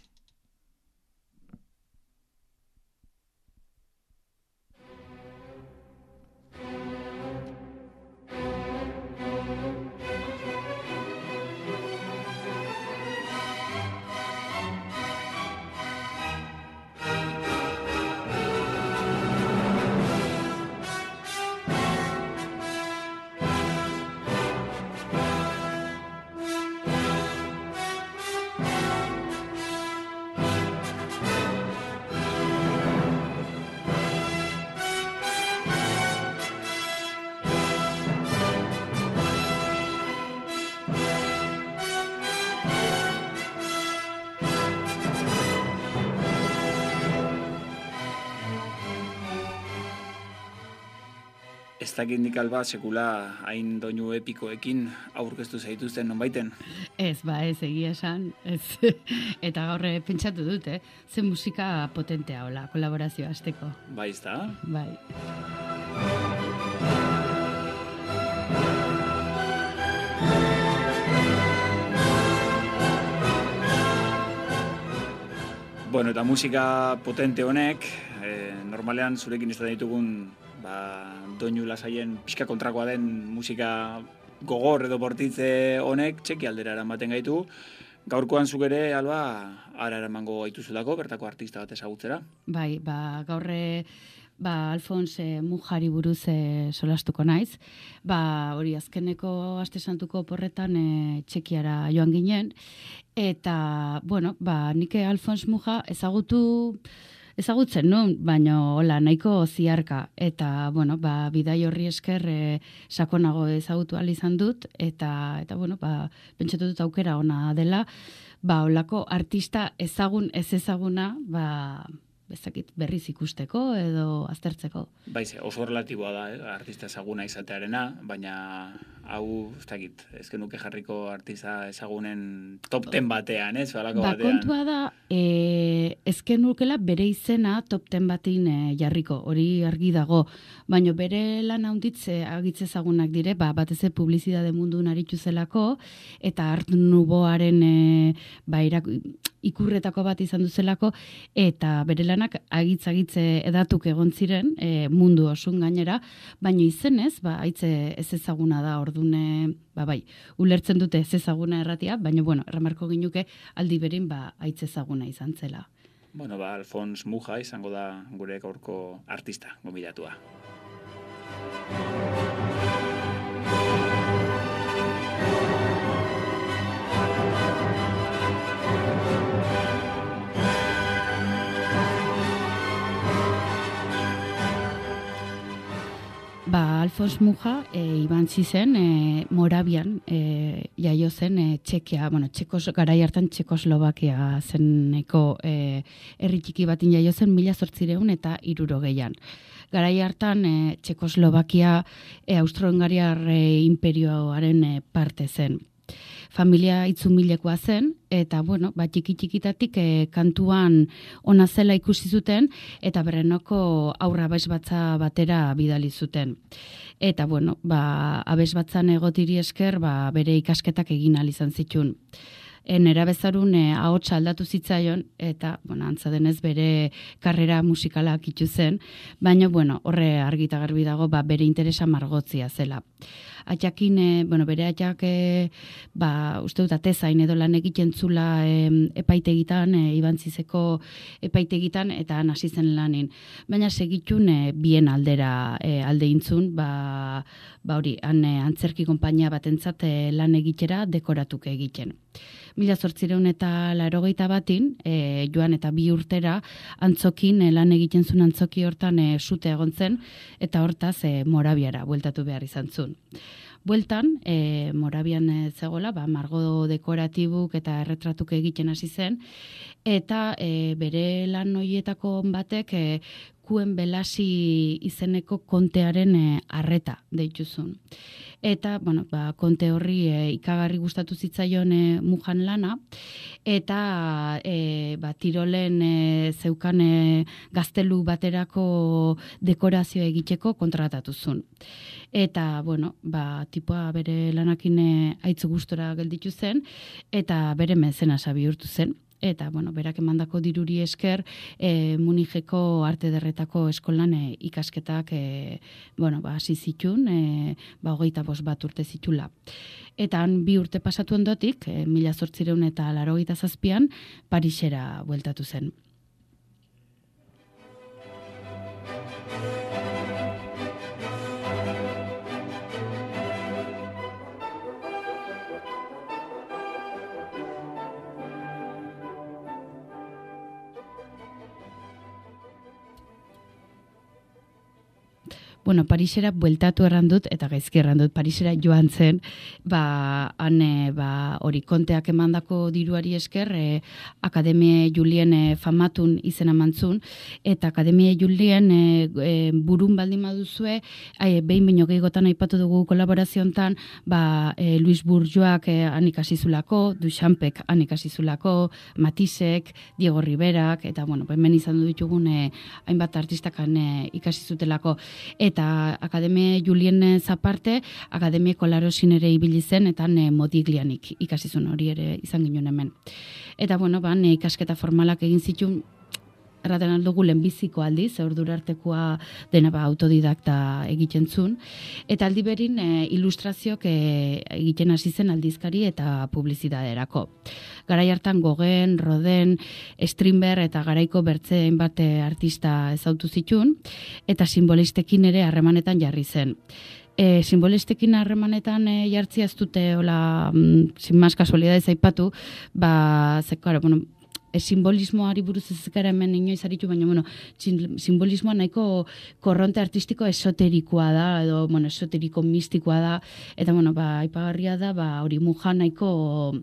Ez dakit nik Alba sekula hain doinu epikoekin aurkeztu zaituzten nonbaiten? Ez, egia esan. Eta gaur pentsatu dut, ze musika potentea hola, kolaborazioa hasteko. Bai, ezta? Bai. Eta musika potente honek, normalean zurekin izaten ditugun doinu lasaien pixka kontrakoa den musika gogor edo bortitze honek txeki aldera eramaten gaitu. Gaurkoan zuk ere, Alba, ara eramango gaituzulako, bertako artista bat ezagutzera. Bai, gaur Alfons Mujari buruz solastuko naiz. Hori azkeneko aste santuko porretan Txekiara joan ginen. Eta, nik Alfons Muja ezagutzen nun, baina hola nahiko ziarka. Eta, bidai horri esker sakonago ezagutu ahal izan dut. Eta pentsatu dut aukera ona dela, holako artista ezagun ez ezaguna, ezakit berriz ikusteko edo aztertzeko. Baize, oso relatiboa da, artista ezaguna izatearena, baina hau, ez genuke jarriko artista ezagunen top 10 batean, balako batean. Kontua da, ez genukela bere izena top 10 batean jarriko, hori argi dago, baina bere lan handitze agitze ezagunak dire, batez publizitate munduan aritu zelako, eta Art Nouveauaren ikurretako bat izan duzelako, eta bere lanak agitze edatuk egon ziren mundu osun gainera, baina izenez, haitze ez ezaguna da ordune, ulertzen dute ez ezaguna erratia, baina, erramarko ginuke aldi berin haitze ezaguna izan zela. Alfons Muja izango da gure gaurko artista, gomidatua. Alfons Muja iban zizen Morabian jaio zen Txekia, garai hartan Txekoslovakia zeneko herri txiki batin jaio zen 1860 Garai hartan Txekoslovakia Austro-Hungariar imperioaren parte zen. Familia itzumilekoa zen, eta, txiki-txikitatik kantuan ona zela ikusi zuten, eta Brnoko aurra abesbatza batera bidali zuten. Eta, abesbatzan egotiri esker, bere ikasketak egin ahal izan zituen. nerabezarun ahotsa aldatu zitzaion, eta, antza denez bere karrera musikala akitu zen, baina, horre argita garbi dago, bere interesa margotzia zela. Atxakin, bere atxak, uste dut atezain edo lan egiten zula epaitegitan, Ibantzizeko epaitegitan, eta hasi zen lanin. Baina segitun bien aldera alde intzun, hori, antzerki konpainia batentzat lan egitera dekoratuke egiten. 1881 joan eta 2 urtera antzokin lan egiten zuen antzoki hortan sute egon zen, eta hortaz Morabiara bueltatu behar izan zuen. Bueltan, Morabian zegoela, margo dekoratibuk eta erretratuk egiten hasi zen, eta bere lan horietako batek Kuen Belasi izeneko kontearen arreta deituzun. Eta, konte horri ikagarri gustatu zitzaion Mujan lana, eta Tirolen zeukan gaztelu baterako dekorazio egiteko kontratatu zuen. Eta, tipoa bere lanakin aitzu gustora gelditu zen, eta bere mezenasa bihurtu zen. Eta, berak emandako diruri esker, Munijeko arte derretako eskolan ikasketak, hasi zitun, 25 urte zitula. Eta han 2 urte pasatu ondotik, 1887an, Parisera bueltatu zen. Parisera bueltatu errandut, eta gaizki errandut, Parisera joan zen, hori konteak emandako diruari esker, Akademie Julien famatun izena mantzun, eta Akademie Julien burun baldin baduzue, behin baino gehiagotan aipatu dugu kolaboraziontan, Luis Bourgeoak han ikasizulako, Duchampek han ikasizulako, Matisek, Diego Riverak, eta hemen izan ditugun hainbat artistak han ikasizutelako, eta Akademie Julien zaparte, Akademie Kolarosin ere ibili zen, eta Modiglianik ikasizun hori ere izan ginen hemen. Eta, ikasketa formalak egin zituen, erraten aldugu lehenbiziko aldiz, ordura artekoa dena autodidakta egiten zuen, eta aldi berin ilustrazioak egiten hasi zen aldizkari eta publizidaderako. Garai hartan Gauguin, Rodin, Strindberg eta garaiko bertze hainbat artista ezautu zituen, eta simbolistekin ere harremanetan jarri zen. Simbolistekin harremanetan jartzia ez dute, sin más kasualidades aipatu, simbolismoari buruz ez gara hemen inoiz aritu, baina, simbolismoa nahiko korronte artistiko esoterikoa da, edo, esoteriko mistikoa da, eta, aipagarria da, hori Mujan nahiko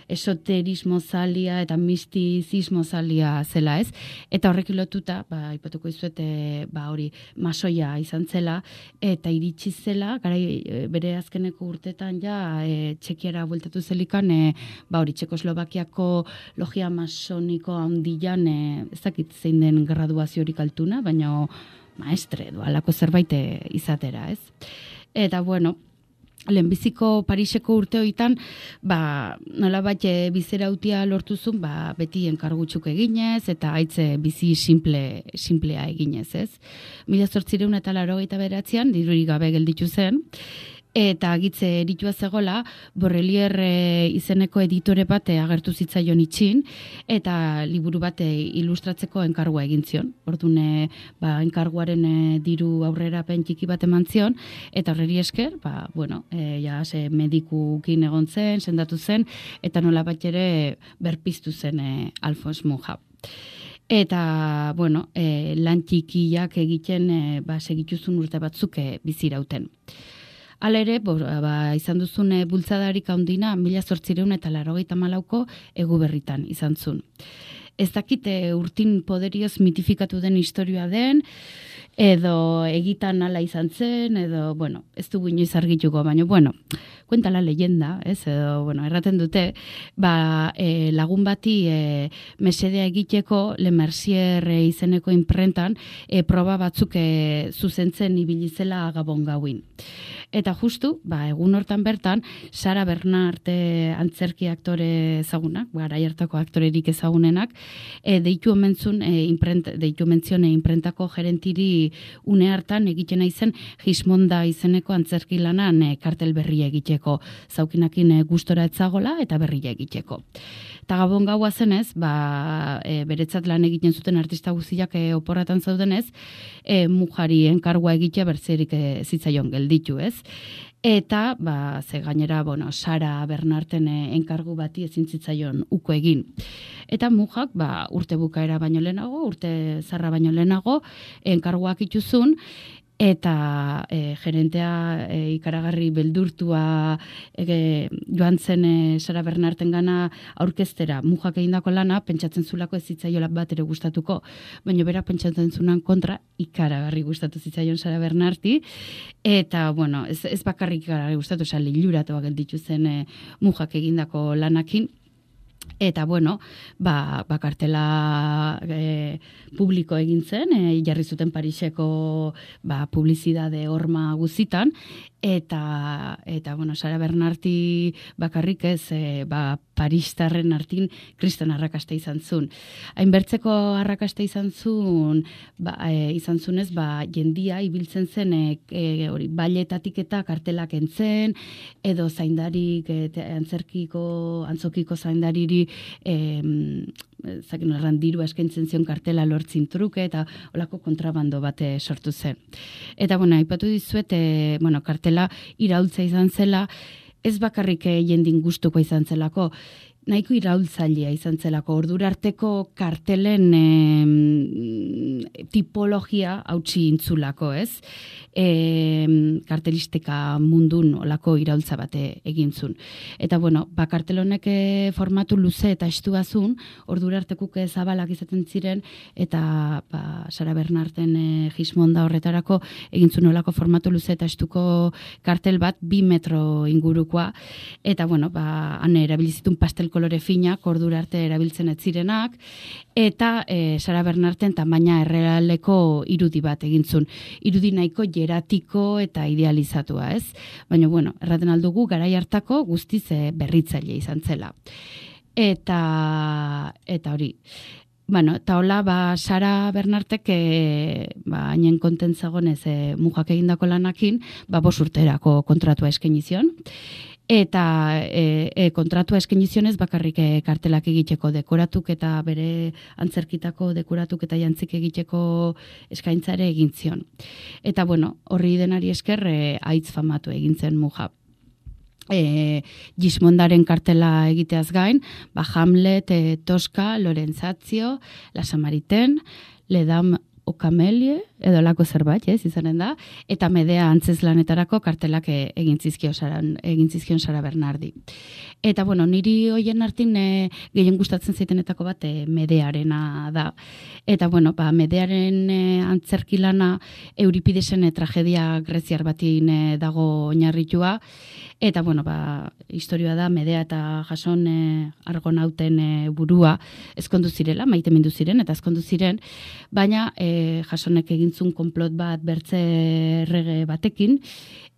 esoterismo zalia eta mistizismo zalia zela, ez? Eta horrekin lotuta, aipatuko izuet, hori masoia izan zela, eta iritsi zela, bere azkeneko urtetan Txekiara bueltatu zelikan, hori Txekoslovakiako logia masoniko handian, ez dakit zein den graduaziorik altuna, baina maestre, alako zerbait izatera, ez? Eta, lehenbiziko Pariseko urte hoitan, nolabait bizerautia lortuzun, beti enkargutxuk eginez, eta haitze bizi simplea eginez, ez? 1889an, dirurik gabe gelditu zen, eta agitze eritua zegola, Borrelier izeneko editore bat agertu zitzaion itxin, eta liburu bat ilustratzeko enkargua egin zion. Orduan, enkarguaren diru aurrera pentiki bat eman zion, eta horreri esker, medikukin egon zen, sendatu zen, eta nola bat ere berpiztu zen Alphonse Mucha. Eta, lan txikiak egiten segituzun urte batzuk bizirauten. Hala ere, izan duzun bultzadarik handina 1884ko Eguberritan izan zuen. Ez dakite urtin poderioz mitifikatu den historia den, edo egitan ala izan zen, edo, bueno, ez dugu inoiz argituko, baina, bueno, kuenta la leyenda, ez, edo, bueno, erraten dute, lagun bati mesedea egiteko Le Mercier izeneko imprentan proba batzuk zuzentzen ibilizela Gabon gauin. Eta justu, egun hortan bertan, Sara Bernard antzerki aktore ezagunak, garai hartako aktorerik ezagunenak, deitu omentzion imprentako gerentiri une hartan egiten izen Gismonda izeneko antzerki lanan kartel berria egiteko, zaukinakin gustora etzagola eta berria egiteko. Eta Gabon gaua zenez, beretzat lan egiten zuten artista guztiak oporratan zaudenez, mujari enkargua egitea bertzerik zitzaion gelditu, ez? Eta, ze gainera, Sara Bernarten enkargu bati ezin zitzaion uko egin. Eta mujak, urte bukaera baino lehenago, urte zarra baino lehenago, enkarguak ituzun, eta gerentea ikaragarri beldurtua joan zen Sara Bernarten gana aurkeztera mujak egindako lana, pentsatzen zulako ez zitzaiola bat ere gustatuko, baina bera pentsatzen zunan kontra ikaragarri gustatu zitzaion Sara Bernarti, eta, bueno, ez bakarrik ikaragarri gustatu, liluratu gelditu zen mujak egindako lanakin. Eta, bueno, kartela publiko egin zen, jarri zuten Pariseko publizidade horma guzitan, eta bueno, Sara Bernarti bakarrik ez, Paristarren artin kriston arrakasta izan zuen. Hainbertzeko arrakasta izan zuen, izan zunez, jendia ibiltzen zen, bailetatik eta kartelak entzen, edo zaindarik, antzokiko zaindariri, zakin horran dirua eskaintzen zion kartela lortzin truke, eta olako kontrabando bate sortu zen. Eta, bueno, aipatu dizuet, kartela iraultza izan zela, ez bakarrik jendin gustuko izan zelako, nahiko iraultzailea izan zelako, ordura arteko kartelen tipologia hautsi intzulako, ez? Kartelistika mundun olako iraultza bate egintzun. Eta, bueno, kartel honek formatu luze eta estuazun, ordura artekuk zabalak izaten ziren, eta Sara Bernarten Gismonda horretarako egintzun olako formatu luze eta estuko kartel bat 2 metro ingurukoa, eta, bueno, han erabilizitun pastel kolore finak, ordura arte erabiltzen ez zirenak, eta Sara Bernarten tamaina errealeko irudi bat egintzun. Irudi nahiko jeratiko eta idealizatua, ez? Baina, bueno, erraten aldugu, garai hartako guztiz berritzaile izan zela. Eta hori. Bueno, eta hola, Sara Bernartek, hainen kontentzagonez mujak egindako lanakin, 5 urterako kontratua eskainizion. Eta kontratua eskainizionez bakarrik kartelak egiteko dekoratuk eta bere antzerkitako dekoratuk eta jantzik egiteko eskaintzare egin zion. Eta, bueno, horri denari esker aitz famatu egin zen muja. Gismondaren kartela egiteaz gain, Hamlet, Tosca, Lorenzatio, La Samaritaine, Le Dame au Camélie, edo lako zerbait, izanen da, eta Medea antzeslanetarako kartelak egin zizkion Sara Bernardi. Eta, bueno, niri hoien artin gehien gustatzen zaitenetako bat Medearena da. Eta, bueno, Medearen antzerkilana Euripidesen tragedia greziar batin dago oinarritua, eta, bueno, historioa da Medea eta Jason argonauten burua ezkondu zirela, maitemindu ziren eta ezkondu ziren, baina Jasonek egintzun konplot bat bertze errege batekin,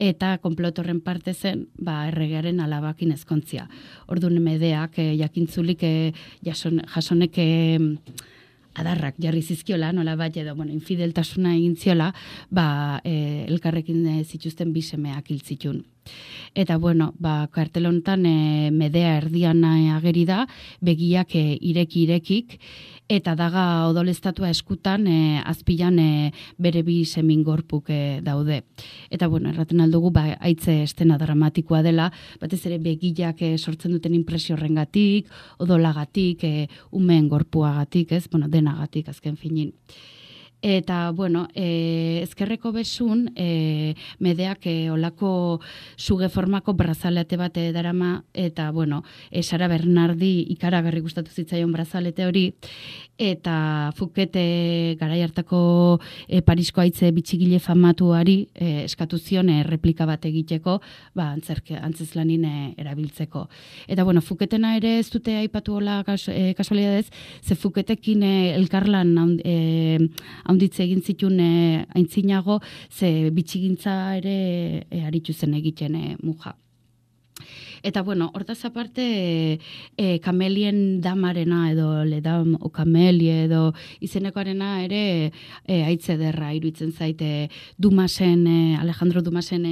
eta konplot horren parte zen erregearen alabakin ezkontzia. Orduan Medeak jakintzulik Jasonek adarrak jarri zizkiola, nola bat edo, infideltasuna egin ziola, elkarrekin zituzten 2 semeak hil zitun. Eta, bueno, kartel honetan Medea erdian ageri da, begiak irekik, eta daga odolestatua eskutan azpilan bere 2 semingorpuk daude. Eta, bueno, erraten aldugu, haitze estena dramatikoa dela, batez ere begiak sortzen duten impresio horrengatik, odolagatik, umeen gorpuagatik, ez? Bueno, denagatik azken finin. Eta, bueno, ezkerreko besun, medeak olako suge formako brazalete bat darama, eta, bueno, Sara Bernardi ikaragarri gustatu zitzaion brazalete hori, eta Fouquet garai hartako Parisko haitze bitxigile famatuari eskatu zion replika bat egiteko, antzeslanin erabiltzeko. Eta, bueno, Fouquetena ere ez dute aipatu hola kasualidadez, ze Fouquetekin elkarlan haunditze egin zituen aintzinago, ze bitxigintza ere aritu zen egiten muja. Eta, bueno, hortaz aparte, Kamelien damarena edo ledam o kamelie edo izenekoarena ere haitze derra iruditzen zaite Dumasen, Alejandro Dumasen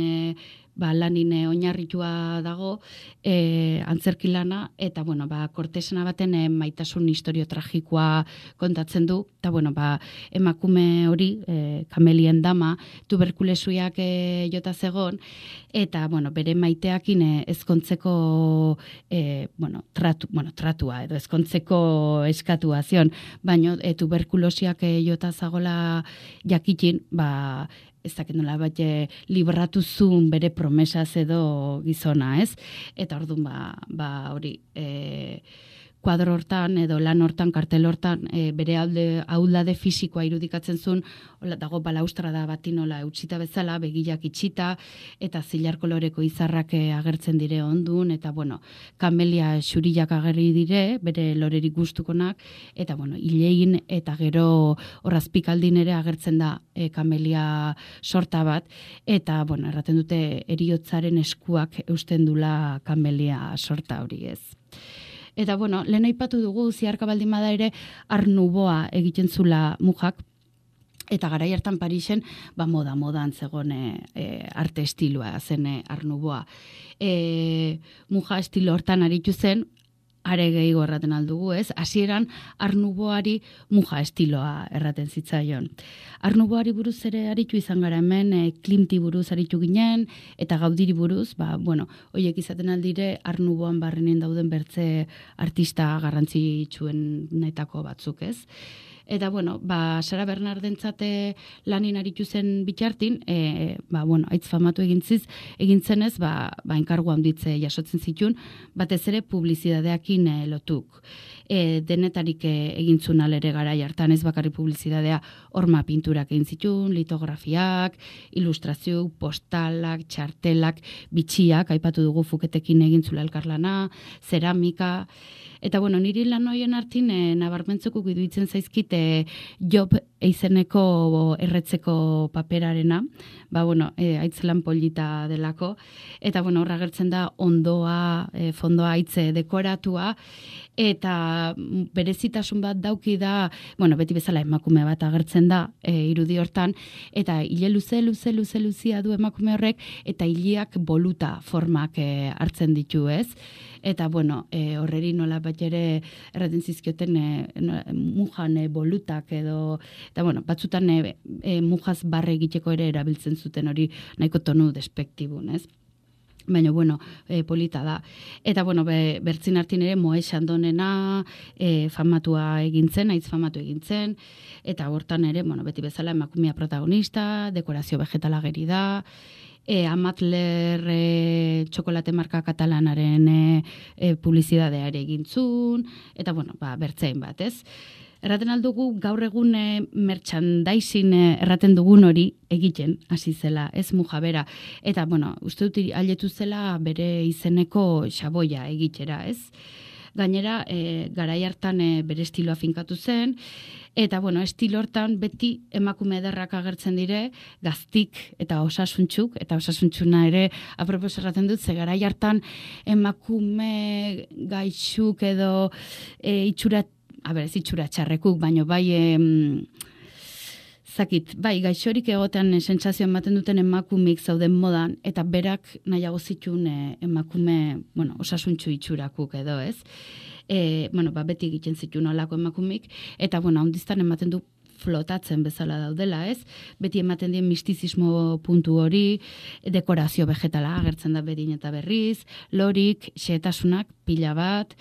lanin oinarritua dago, antzerki lana, eta, bueno, Kortesena baten maitasun historio tragikoa kontatzen du, eta, bueno, emakume hori, Kamelien dama, tuberkulesuiak jota zegon, eta, bueno, bere maiteakin ezkontzeko, tratua, edo ezkontzeko eskatua zion, baina tuberkulosiak jota zagola jakitin, ez dakit nola bat libratu zuen bere promesaz edo gizona, ez? Eta orduan, hori, kuadro hortan edo lan hortan, kartel hortan, bere ahuldade fisikoa irudikatzen zuen, dago balaustrada bati nola eutxita bezala, begilak itxita, eta zilar koloreko izarrak agertzen dire ondun, eta, bueno, kamelia xurillak agerri dire, bere lorerik gustukonak, eta, bueno, hilein eta gero horrazpikaldin ere agertzen da kamelia sorta bat, eta, bueno, erraten dute eriotzaren eskuak eusten dula kamelia sorta hori, ez. Eta, bueno, lehen aipatu dugu, ziarka baldin bada ere, Art Nouveaua egiten zula mujak, eta garai hartan Parisen, modan zegoen arte estiloa zen Art Nouveaua. Muja estilo hortan aritu zen, are gehiago erraten aldugu, ez? Hasieran Art Nouveauari muja estiloa erraten zitzaion. Art Nouveauari buruz ere aritu izan gara hemen, Klimti buruz aritu ginen, eta Gaudiri buruz, horiek izaten aldire Art Nouveauan barrenin dauden bertze artista garrantzitsuenetako batzuk, ez? Eta, bueno, Sara Bernardentzate lanin aritu zen bitartin, haitz famatu egin zenez, enkargu handitze jasotzen zituen, batez ere publizidadeakin lotuk. Denetarik egin zuen alere garai hartan, ez bakarri publizidadea, horma pinturak egin zituen, litografiak, ilustrazio, postalak, txartelak, bitxiak, aipatu dugu Fouquetekin egin zula elkarlana, zeramika. Eta, bueno, niri lan horien hartin nabarmentzeko iruditzen zaizkite Job eizeneko erretzeko paperarena, haitz lan polita delako, eta, bueno, horra gertzen da ondoa, fondoa haitze dekoratua, eta berezitasun bat dauki da, beti bezala emakume bat agertzen da irudi hortan, eta hile luzea du emakume horrek, eta hileak boluta formak hartzen ditu, ez? Eta, horreri nola bat ere erraten zizkioten mujan bolutak edo, eta, batzutan mujaz barre egiteko ere erabiltzen zuten hori nahiko tonu despektibun, ez? Baina, polita da. Eta, bertzin hartin ere Moe Xandonena famatua egintzen, haitz famatu egintzen, eta hortan ere, beti bezala emakumea protagonista, dekorazio vegetala geri da, Amatler txokolate marka katalanaren publizidadea ere egintzun, eta, bertzein bat, ez? Erraten aldugu gaur egun merchandising erraten dugun hori egiten hasi zela, ez muja bera. Eta, uste dut ailetu zela bere izeneko xaboia egitera, ez? Gainera, garai hartan bere estiloa finkatu zen, eta, estilo hortan beti emakume ederrak agertzen dire, gaztik eta osasuntxuk, eta osasuntxuna ere apropos erraten dut, ze garai hartan emakume gaixuk edo itxura txarrekuk, baino gaixorik egotean sentsazio ematen duten emakumik zauden modan, eta berak nahiago zituen emakume, osasuntxu itxurakuk edo, ez? Beti egiten zituen olako emakumik, eta, handiztan ematen du flotatzen bezala daudela, ez? Beti ematen dien mistizismo puntu hori, dekorazio vegetala agertzen da berin eta berriz, lorik, xehetasunak, pila bat,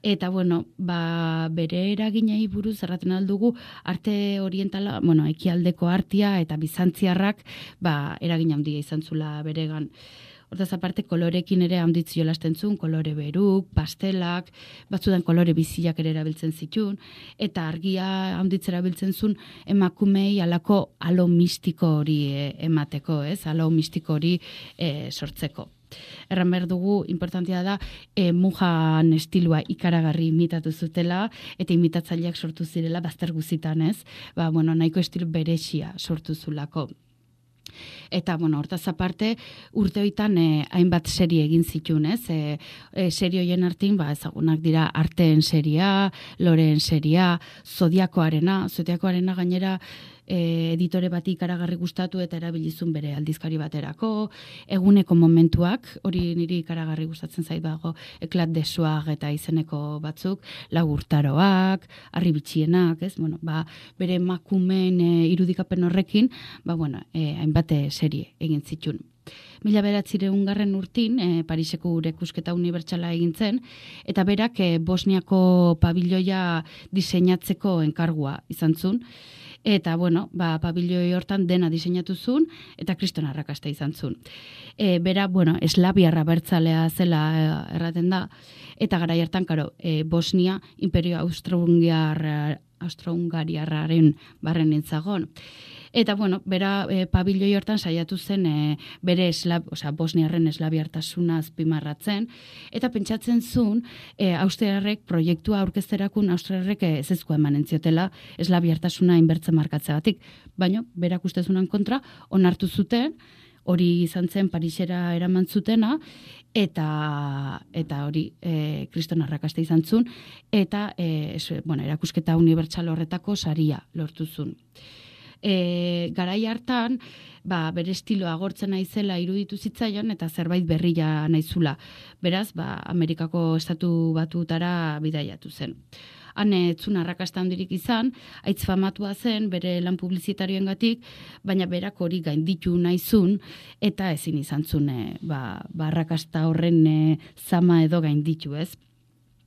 eta bueno, bere eraginei buruz erraten aldugu arte orientala, ekialdeko artea eta bizantziarrak eragin handia izan zula beregan. Hortaz aparte, kolorekin ere handitzi jolasten zuen, kolore beruk, pastelak, batzudan kolore biziak ere erabiltzen zituen, eta argia handitzera biltzen zuen emakumei alako alo mistiko hori emateko, ez? Alo mistiko hori sortzeko. Erran behar dugu, importantia da, mujan estilua ikaragarri imitatu zutela, eta imitatzaileak sortu zirela bazter guzitan, ez? Nahiko estil beresia sortu zulako. Eta, hortaz aparte, urte hoitan hainbat serie egin zituen, ez? Serie hoien artin, ezagunak dira Arteen seria, Loreen seria, Zodiakoarena gainera editore bati ikaragarri gustatu eta erabilizun bere aldizkari baterako, Eguneko momentuak, hori niri ikaragarri gustatzen zait dago, Eklat de Suag eta izeneko batzuk, Lagurtaroak, Harribitxienak, ez? Bere emakumeen irudikapen horrekin, hainbat serie egin zituen. 1900 urtin, Pariseko Urekusketa Unibertsala egin zen, eta berak Bosniako pabiloia diseinatzeko enkargua izan zuen, eta, pabiloi hortan dena diseinatu zuen, eta kriston arrakasta izan zuen. Bera, eslabiarra bertzalea zela erraten da, eta garai hartan, Bosnia Imperio Austro-Hungariarraren barren entzagon. Eta, bera pabiloi hortan saiatu zen bere bosniarren eslabiartasuna azpimarratzen, eta pentsatzen zuen austriarrek proiektua aurkezterakun austriarrek ezezkoa eman entziotela eslabiartasuna inbertzen markatzeagatik. Baina, berak ustezunan kontra, onartu zuten, hori izan zen Parisera eraman zutena, eta hori kriston arrakasta izan zuen, eta erakusketa unibertsal horretako saria lortu zuen. Garai hartan, bere estiloa agortzen naizela iruditu zitzaion eta zerbait berria naizula. Beraz, Amerikako estatu batutara bidaiatu zen. Han etzun arrakasta handirik izan, aitz famatua zen bere lan publizitarioengatik, baina berak hori gainditu naizun eta ezin izan zuen arrakasta horren zama edo gainditu, ez?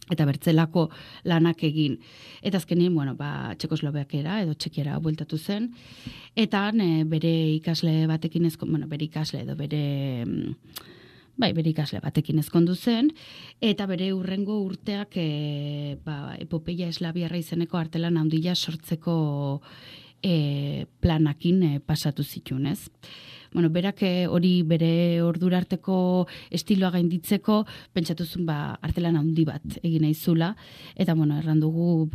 Eta bertzelako lanak egin. Eta azkenin, Txekoslovakiara edo Txekiara bueltatu zen, eta bere ikasle batekin bere ikasle batekin ezkondu zen, eta bere hurrengo urteak epopeia eslabiarra izeneko artelan handia sortzeko planakin pasatu zituen, ez? Berak hori bere ordura arteko estiloa gainditzeko pentsatuzun artelan handi bat egin nahi zula, eta erran dugu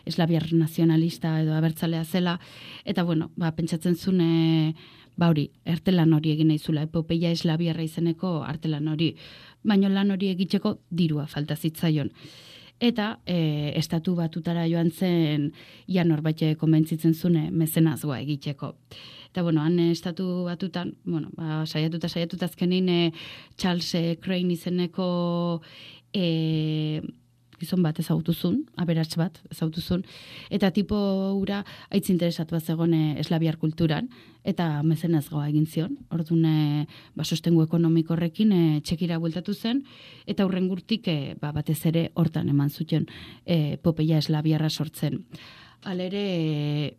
eslabiar nazionalista edo abertzalea zela, eta pentsatzen zuen hori, artelan hori egin nahi zula, epopeia eslabiarra izeneko artelan hori, baina lan hori egiteko dirua falta zitzaion. Eta estatu batutara joan zen norbait konbentzitzen zune mezenazgoa egiteko. Eta, han estatu batutan, saiatuta azkenin Charles Crane izeneko gizon bat ezagutuzun, aberats bat ezagutuzun, eta tipo hura aitz interesatu bat zegoen eslabiar kulturan, eta mezenazgoa egin zion. Orduan, sostengu ekonomiko horrekin Txekira bueltatu zen, eta hurrengurtik batez ere hortan eman zuten epopeia eslabiarra sortzen. Halere,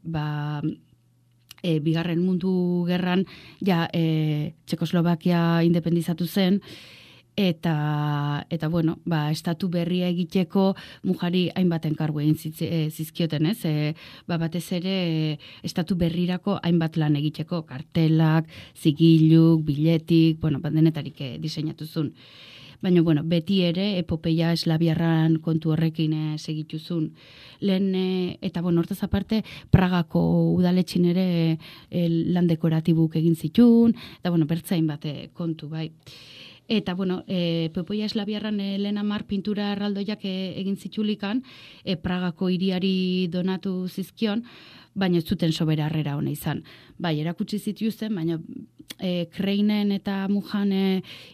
Bigarren Mundu Gerran Txekoslovakia independizatu zen, eta estatu berria egiteko mujari hainbat enkargu egin zizkioten, ez? Batez ere estatu berrirako hainbat lan egiteko, kartelak, zigiluk, biletik, denetarik diseinatu zuen. Baina, beti ere epopeia eslabiarran kontu horrekin segituzun. Lehen, eta hortaz aparte, Pragako udaletxin ere lan dekoratibuk egin zitun, eta bertzain bat kontu, bai. Eta, epopeia eslabiarran lehen 10 pintura erraldoiak egin zitulikan, Pragako hiriari donatu zizkion, baina ez zuten soberarrera hona izan. Bai, erakutsi zituzten, baina Kreinen eta Mujan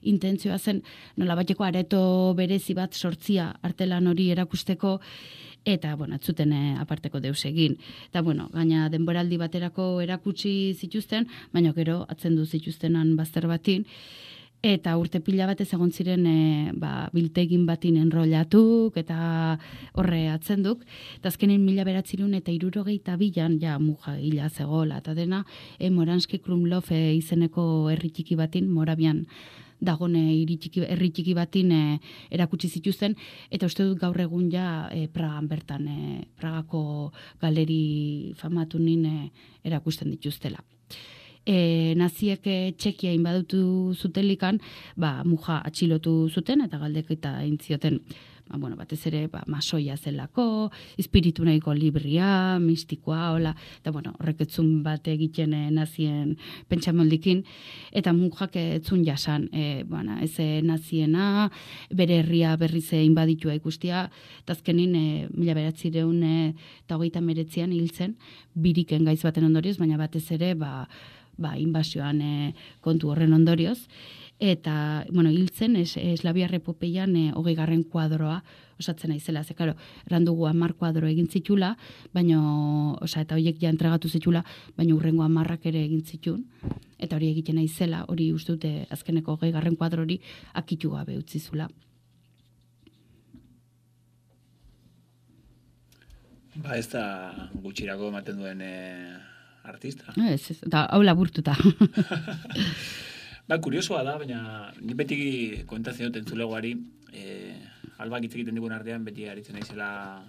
intentzioa zen nolabaiteko areto berezi bat sortzia artelan hori erakusteko, eta, bueno, atzuten aparteko deus egin. Eta, bueno, gaina denboraldi baterako erakutsi zituzten, baina gero atzendu zituztenan bazter batin, eta urte pila batez egon ziren biltegin batin enrollatuk eta horre atzenduk. Eta azkenin 1962an ja Muja hila zegoela eta dena Moranski Krumlov izeneko herri txiki batin, Morabian dagone herri txiki batin erakutsi zituzten, eta uste dut gaur egun ja Pragan bertan, Pragako galeri famatunin erakusten dituztela. Naziek Txekia inbadutu zutelikan, Muja atxilotu zuten eta galdeketa egin zioten, batez ere masoia zelako, espiritu nahiko libria, mistikoa, hola, eta horrek etzun bat egiten nazien pentsamoldikin, eta Mujak etzun jasan, ez naziena, bere herria berriz inbaditua ikustia, eta azkenin 1989an hil zen, biriken gaiz baten ondorioz, baina batez ere, inbasioan kontu horren ondorioz, eta, hiltzen, Eslavia Repopeian 20. kuadroa osatzen aizela, ze, karo, randugu 10 kuadro egin zitula, eta horiek ja entregatu zitula, baina urrengo 10 ere egin zitun, eta hori egiten aizela, hori uste dute azkeneko 20. kuadro hori akitu gabe utzizula. Ez da gutxirako ematen duen artista. Ez, eta hau laburtuta. Kuriosoa da, baina ni beti kontazio dut entzulegoari, albak hitz egiten digun artean, beti aritzen naizela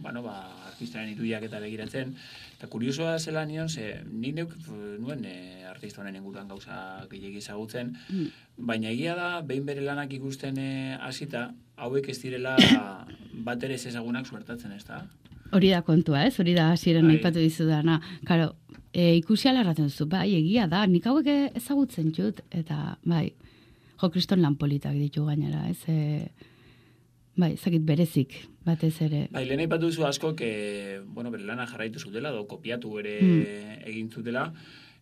artistaren ituiak eta begiratzen, eta kuriosoa zela nion, nik nuen artista honen inguruan gauza gehiagi ezagutzen, baina egia da, behin bere lanak ikusten hasita, hauek ez direla bat ere ez ezagunak suertatzen, ez da? Hori da kontua, ez? Hori da hasieran aipatu dizudana. Karo, ikusi alarraten zu, egia da, nik hauek ezagutzen jut, eta kriston lan politak ditu gainera, ez? Zakit berezik, batez ere. Lehen aipatu duzu askok, bere lana jarraitu zutela, kopiatu ere egin zutela.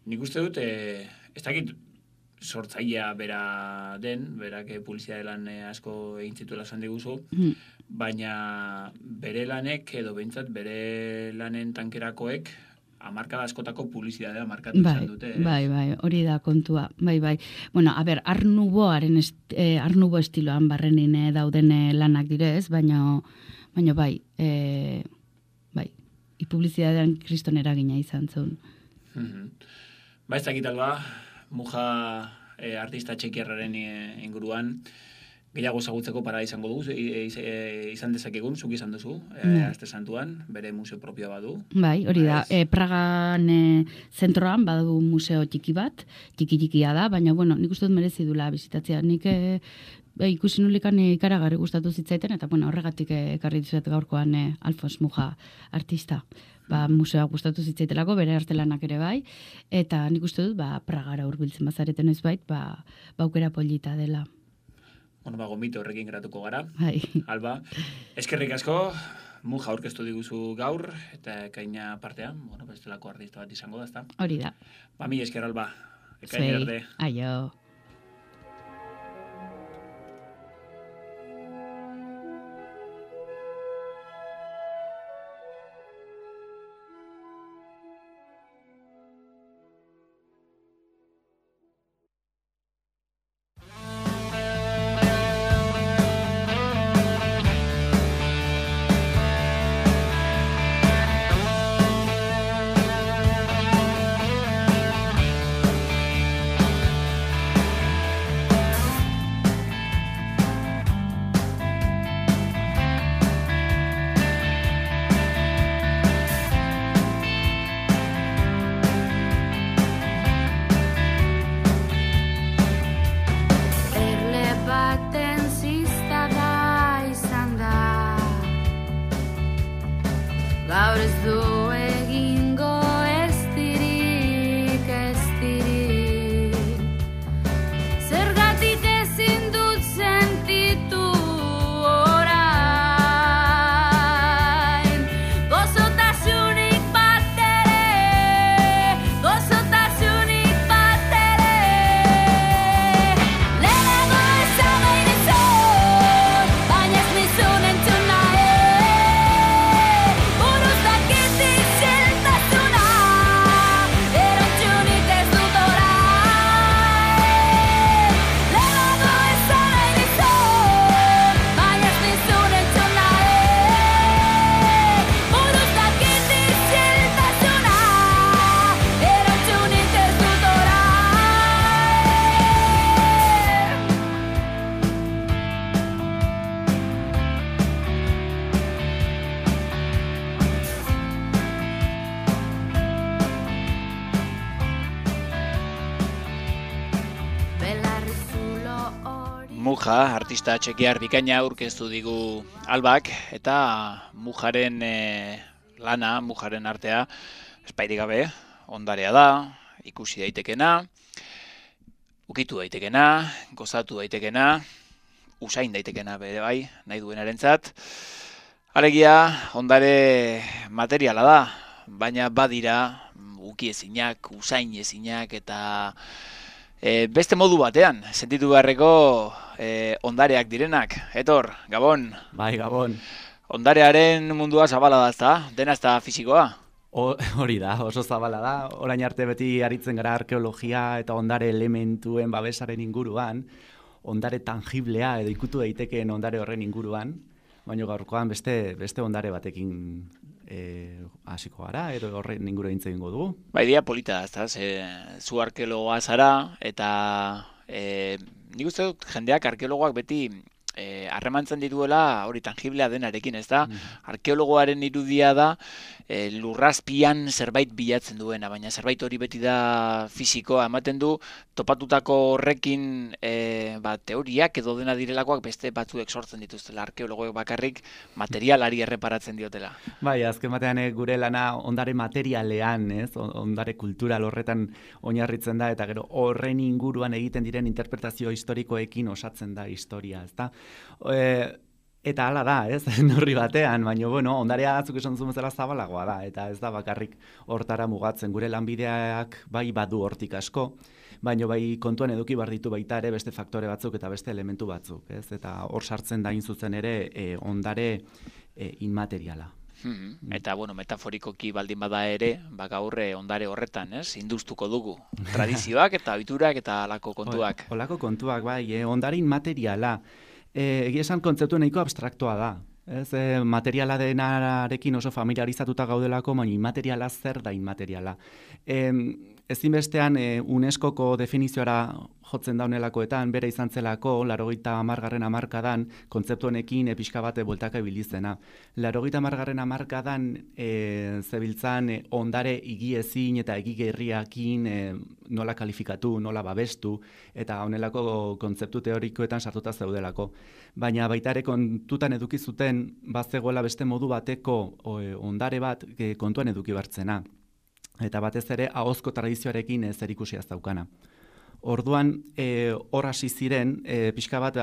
Nik uste dut, ez dakit sortzailea bera den, berak publizitate lan asko egin zituela esan diguzu, baina bere lanek edo behintzat bere lanen tankerakoek hamarkada askotako publizitatea markatu izan dute. Bai, hori da kontua. Bueno, Art Nouveau estiloan barrenin dauden lanak direz, baina publizitatean kriston eragina izan zuen. Ez dakit alba, Muja artista txekiarraren inguruan, gehiago ezagutzeko para izango dugu, izan dezakegun, zuk izan duzu, Aste Santuan, bere museo propioa badu. Hori da, Pragan zentroan badu museo txiki bat, txiki-txikia da, baina, nik uste dut merezi dula bizitatzea. Nik ikusi nulikan ikaragarri gustatu zitzaiten, eta horregatik ekarri dizuet gaurkoan Alfons Muja artista. Museoak gustatu zitzaitelako, bere artelanak ere bai, eta nik uste dut, Pragara hurbiltzen bazareten ez bait, aukera polita dela. Gomito horrekin geratuko gara. Alba, eskerrik asko, Muja aurkeztu diguzu gaur, eta ekaina partean, bestelako artista bat izango da, ezta? Hori da. Mila esker, Alba. Ekaina arte. Aio. Muja, artista txekiar bikaina aurkeztu digu Albak, eta Mujaren lana, Mujaren artea, espairik gabe, ondarea da, ikusi daitekena, ukitu daitekena, gozatu daitekena, usain daitekena bere bai, nahi duenarentzat. Alegia, ondare materiala da, baina badira ukiezinak, usainezinak eta beste modu batean, sentitu beharreko ondareak direnak. Etor, Gabon. Bai, Gabon. Ondarearen mundua zabala da, ezta? Dena ez da fisikoa? Hori da, oso zabala da. Orain arte beti aritzen gara arkeologia eta ondare elementuen babesaren inguruan, ondare tangiblea edo ikutu daitekeen ondare horren inguruan, baina gaurkoan beste ondare batekin hasiko gara, edo horren inguru egingo dugu. Ba, idea polita da, zu arkeologoa zara, eta nik uste dut jendeak arkeologoak beti harremantzen dituela hori tangiblea denarekin, ez da? Arkeologoaren irudia da lurrazpian zerbait bilatzen duena, baina zerbait hori beti da fisikoa, ematen du topatutako horrekin teoriak edo dena direlakoak beste batzuek sortzen dituztela, arkeologoek bakarrik materialari erreparatzen diotela. Bai, azken batean gure lana ondare materialean, ez? Ondare kultural horretan oinarritzen da, eta gero horren inguruan egiten diren interpretazio historikoekin osatzen da historia, ez da? Eta hala da, ez, neurri batean, baina, bueno, ondarea atzuk esan zuen bezala zabalagoa da, eta ez da bakarrik hortara mugatzen, gure lanbideak bai badu hortik asko, baina bai kontuan eduki behar ditu baita ere beste faktore batzuk eta beste elementu batzuk, ez, eta hor sartzen da zuzen ere ondare inmateriala. Eta, bueno, metaforikoki baldin bada ere, gaur ondare horretan, ez, induztuko dugu, tradizioak eta ohiturak eta halako kontuak. Holako kontuak, bai, ondare inmateriala, egia esan kontzeptu nahiko abstraktoa da. Ez, materiala denarekin oso familiarizatuta gaudelako, baina inmateriala zer da inmateriala. Ezinbestean UNESCOko definizioara jotzen daunelakoetan, bere izan zelako, 80. hamarkadan, kontzeptu honekin pixka bate bueltaka ibilizena. 80. hamarkadan zebiltzan ondare higiezin eta higigerriakin nola kalifikatu, nola babestu, eta honelako kontzeptu teorikoetan sartuta zeudelako. Baina baita ere kontutan eduki zuten bazegoela beste modu bateko ondare bat kontuan eduki bartzena. Eta batez ere ahozko tradizioarekin zerikusia ez daukana. Orduan hor hasi ziren pixka bat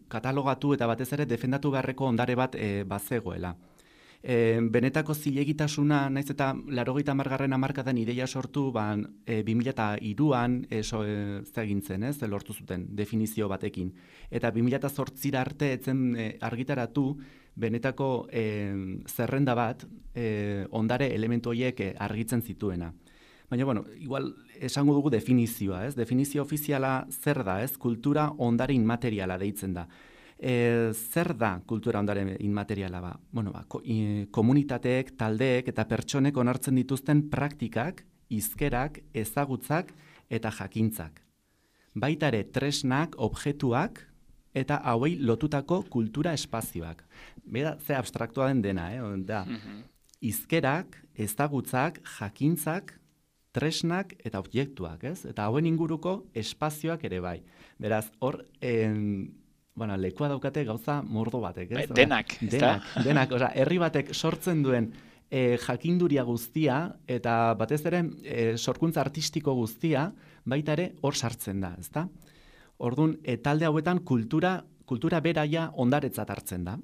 katalogatu eta batez ere defendatu beharreko ondare bat bazegoela. Benetako zilegitasuna, naiz eta 80. hamarkadan ideia sortu, 2003an egintzen, ez, lortu zuten definizio batekin. Eta 2008 arte etzen argitaratu benetako zerrenda bat ondare elementu horiek argitzen zituena. Baina, bueno, igual esango dugu definizioa, ez? Definizio ofiziala zer da, ez? Kultura ondare inmateriala deitzen da. Zer da kultura ondare inmateriala ba? Bueno, komunitateek, taldeek eta pertsonek onartzen dituzten praktikak, hizkerak, ezagutzak eta jakintzak. Baita ere tresnak, objektuak eta hauei lotutako kultura espazioak. Bera, ze abstraktua den dena, da. Hizkerak, ezagutzak, jakintzak, tresnak eta objektuak, ez? Eta hauen inguruko espazioak ere bai. Beraz, hor lekua daukate gauza mordo batek, ez? Denak, ez da? Denak, herri batek sortzen duen jakinduria guztia eta batez ere sorkuntza artistiko guztia baita ere hor sartzen da, ez da? Orduan, talde hauetan kultura beraia ondaretzat hartzen da.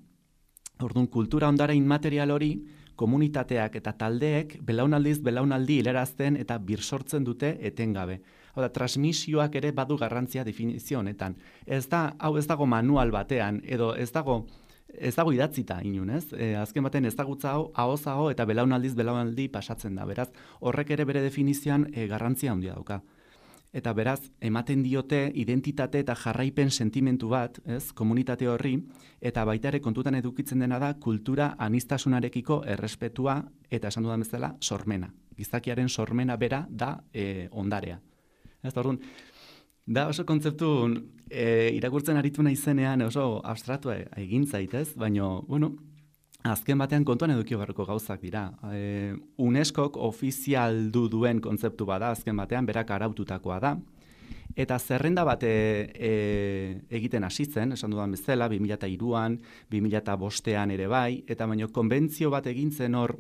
Orduan, kultura ondare inmaterial hori komunitateak eta taldeek belaunaldiz belaunaldi hilarazten eta birsortzen dute etengabe. Hau da, transmisioak ere badu garrantzia definizio honetan. Hau ez dago manual batean, edo ez dago idatzita inun, ez? Azken baten ezagutza hau, ahoz eta belaunaldiz belaunaldi pasatzen da. Beraz, horrek ere bere definizioan garrantzia handia dauka. Eta beraz, ematen diote identitate eta jarraipen sentimentu bat, ez, komunitate horri, eta baita ere kontutan edukitzen dena da kultura aniztasunarekiko errespetua eta esan dudan bezala sormena. Gizakiaren sormena bera da ondarea. Ez, orduan, da oso kontzeptu irakurtzen aritu naizenean oso abstraktua egin zaitez, baina, bueno, azken batean kontuan eduki beharreko gauzak dira. UNESCOk ofizialdu duen kontzeptu bada, azken batean berak araututakoa da, Eta zerrenda bat egiten hasi zen, esan dudan bezala, 2003an, 2005an ere bai, eta baino konbentzio bat egin zen hor,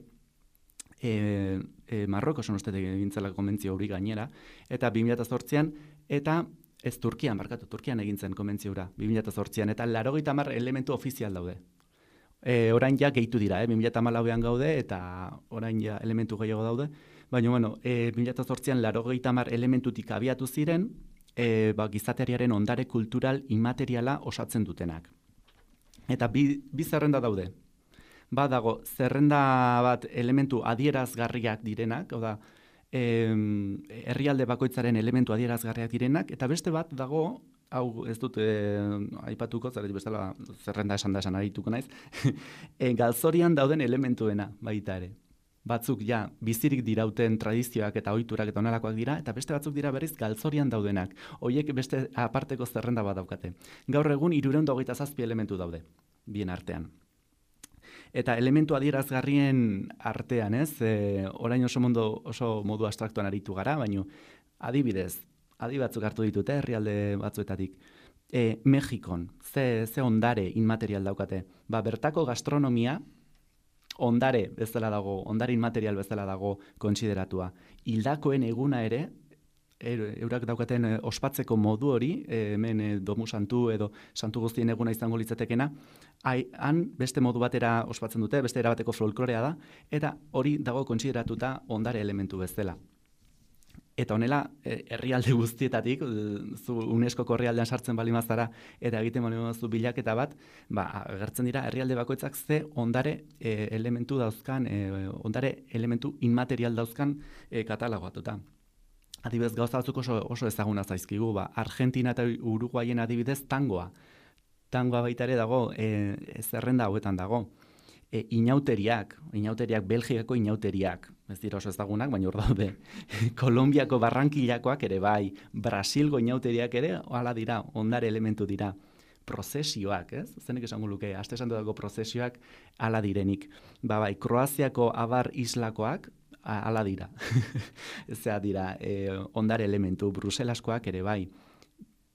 Marrokosen uste egin zela konbentzio hori gainera, eta 2008an, eta ez Turkian egin zen konbentzio hura, 2008an, eta 80 elementu ofizial daude. Orain ja gehitu dira, 2014an gaude, eta orain ja elementu gehiago daude, baina, 2008an 80 elementutik abiatu ziren, gizateriaren ondare kultural inmateriala osatzen dutenak. Eta bi zerrenda daude. Dago, zerrenda bat elementu adierazgarriak direnak, hau da, herrialde bakoitzaren elementu adierazgarriak direnak, eta beste bat dago, hau ez dut aipatuko, bestela zerrenda esan arituko naiz, galzorian dauden elementuena baita ere. Batzuk ja bizirik dirauten tradizioak eta ohiturak eta onelakoak dira, eta beste batzuk dira berriz galzorian daudenak. Hoiek beste aparteko zerrenda bat daukate. Gaur egun 327 elementu daude, bien artean. Eta elementu adierazgarrien artean, orain oso modu abstraktuan aritu gara, baina adibidez, adi batzuk hartu ditute herrialde batzuetatik. Mexikon, ze ondare inmaterial daukate. Bertako gastronomia ondare bezala dago, ondare inmaterial bezala dago kontsideratua. Hildakoen eguna ere, eurak daukaten ospatzeko modu hori, hemen Domu Santu edo Santu Guztien eguna izango litzatekena, han beste modu batera ospatzen dute, beste erabateko folklorea da, eta hori dago kontsideratuta ondare elementu bezala. Eta honela, herrialde guztietatik, zu UNESCO-ko herrialdean sartzen bali mazara, eta egiten bali mazu bilaketa bat, agertzen dira herrialde bakoitzak ze ondare elementu dauzkan, ondare elementu inmaterial dauzkan katalogoatuta. Adibidez, gauza batzuk oso ezaguna zaizkigu, Argentina eta Uruguayen adibidez tangoa. Tangoa baita ere dago, zerrenda hauetan dago. Inauteriak, Belgikako inauteriak, ez dira oso ezagunak, baina hor daude. Kolombiako Barrankillakoak ere bai, Brasilgo inauteriak ere, hala dira, ondare elementu dira. Prozesioak, ez? Zenek esango luke, aste esan dago prozesioak hala direnik. Bai, Kroaziako Abar islakoak, hala dira. Ezea dira, ondare elementu, Bruselaskoak ere bai.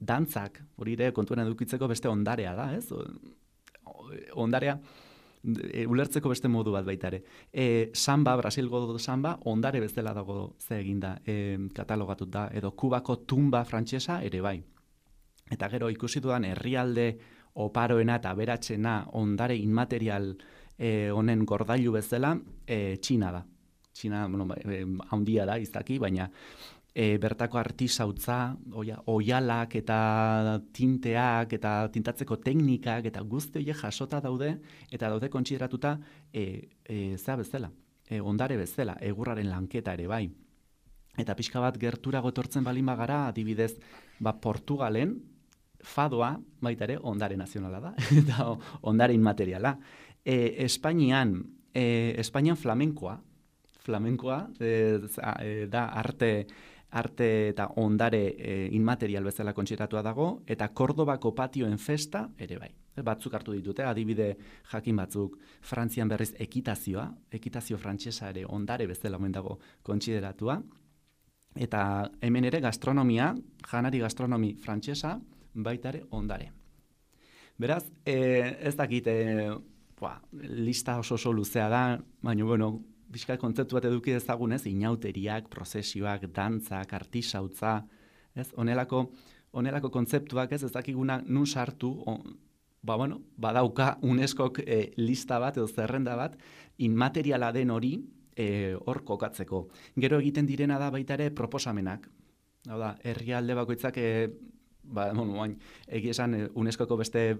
Dantzak, hori ere kontuan edukitzeko beste ondarea da, ez? Ondarea, ulertzeko beste modu bat baita ere. Samba, Brasilgo samba, ondare bezala dago ze eginda katalogatut da, edo Kubako tumba frantsesa ere bai. Eta gero ikusi dudan herrialde oparoena eta aberatsena ondare inmaterial honen gordailu bezala, Txina da. Txina, handia da, izaki, baina bertako artisautza, oialak eta tinteak eta tintatzeko teknikak eta guzti horiek jasota daude eta daude kontsideratuta zea bezala, ondare bezala, egurraren lanketa ere bai. Eta pixka bat gerturago etortzen balin bagara, adibidez, Portugalen fadoa baita ere ondare nazionala da, eta ondare inmateriala. Espainian flamenkoa da arte eta ondare inmaterial bezala kontsiratua dago, eta Kordobako patioen festa ere bai. Batzuk hartu ditute, adibide jakin batzuk, Frantzian berriz ekitazio frantsesa ere ondare bezala omen dago kontsideratua, eta hemen ere gastronomia, janari gastronomi frantsesa, baita ere ondare. Beraz, ez dakit, lista oso luzea da, baina, bizka kontzeptu bat eduki dezagunez, inauteriak, prozesioak, dantzak, artisautza, ez? Honelako kontzeptuak ez dakiguna nun sartu, badauka UNESCOk lista bat edo zerrenda bat, inmateriala den hori hor kokatzeko. Gero egiten direna da baita ere proposamenak. Hau da, herrialde bakoitzak egia esan UNESCOko beste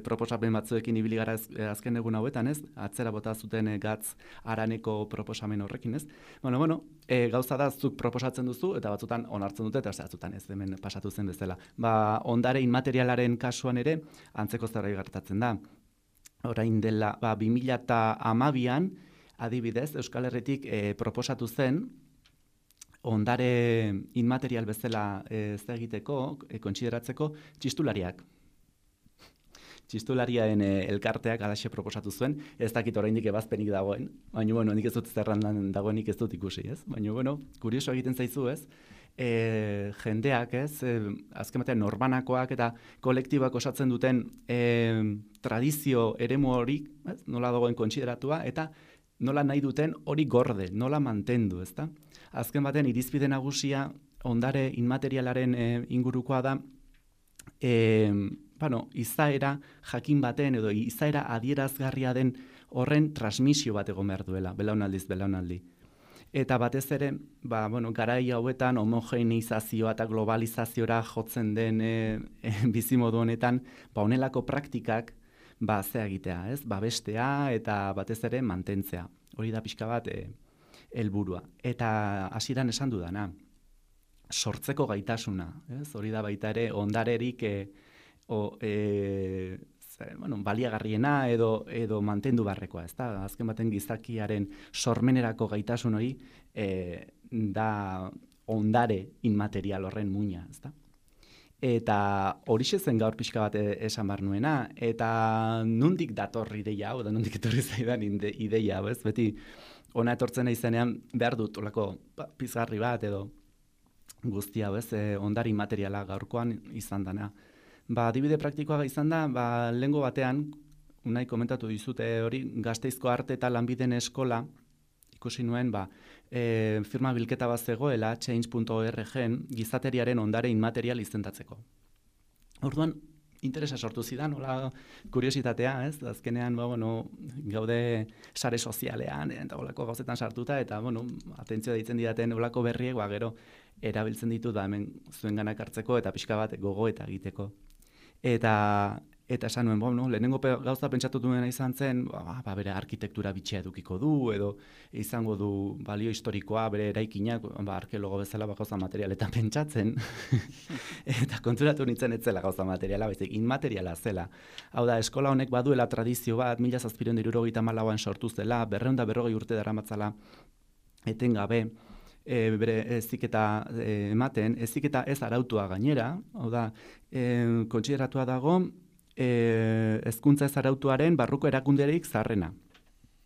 proposamen batzuekin ibili gara azken egun hauetan, ez? Atzera bota zuten gatz araneko proposamen horrekin, ez? Gauza da zuk proposatzen duzu eta batzutan onartzen dute eta batzutan ez, hemen pasatu zen bezala. Ondare inmaterialaren kasuan ere antzeko zerbait gertatzen da. Orain dela 2012an adibidez Euskal Herritik proposatu zen ondare inmaterial bezala egiteko, kontsideratzeko, txistulariak. Txistulariaen elkarteak alaxe proposatu zuen, ez dakit oraindik ebazpenik dagoen, baina nik ez dut zerrandan dagoenik ez dut ikusi, ez? Baina, kurioso egiten zaizu, ez? jendeak, azken batean norbanakoak eta kolektiboak osatzen duten tradizio eremu hori, nola dagoen kontsideratua, eta nola nahi duten hori gorde, nola mantendu, ezta? Azken batean irizpide nagusia ondare inmaterialaren ingurukoa da, izaera jakin baten edo izaera adierazgarria den horren transmisio bat egon behar duela, belaunaldiz belaunaldi. Eta batez ere, garai hauetan homogeneizazioa eta globalizaziora jotzen den bizimodu honetan, honelako praktikak zea egitea, ez? Bestea eta batez ere mantentzea. Hori da pixka bat helburua. Eta hasieran esan dudana, sortzeko gaitasuna, ez? Hori da baita ere ondarerik baliagarriena edo mantendu barrekoa, ezta? Azken baten gizakiaren sormenerako gaitasun hori da ondare inmaterial horren muina, ezta? Eta horixe zen gaur pixka bat esan behar nuena, eta nondik dator ideia hau, da nondik etorri zaidan ideia hau, ez? Beti ona etortzen izenean behar dut olako pizgarri bat edo guztia hau, ez? Ondare inmateriala gaurkoan izan dana. Adibide praktikoa izan da, lehengo batean, unai komentatu dizute hori, Gasteizko Arte eta Lanbideen Eskola, ikusi nuen, firma bilketa bat zegoela, change.org-en, gizateriaren ondare inmaterial izendatzeko. Orduan, interesa sortu zidan, hola kuriositatea, ez? Azkenean, gaude sare sozialean, eta holako gauzetan sartuta, eta, atentzioa ditzen didaten holako berriek, gero, erabiltzen ditu da hemen zuenganak hartzeko, eta pixka bat gogo eta egiteko. Eta esan nuen, lehenengo gauza pentsatu duena izan zen, bere arkitektura bitxia edukiko du, edo izango du balio historikoa, bere eraikinak, arkeologo bezala gauza materialetan pentsatzen, eta konturatu nintzen ez zela gauza materiala, baizik inmateriala zela. Hau da, eskola honek baduela tradizio bat, 1774an sortu zela, 240 urte daramatzala etengabe, bere heziketa ematen, heziketa ez arautua gainera, hau da, kontsideratua dago, hezkuntza ez arautuaren barruko erakunderik zaharrena.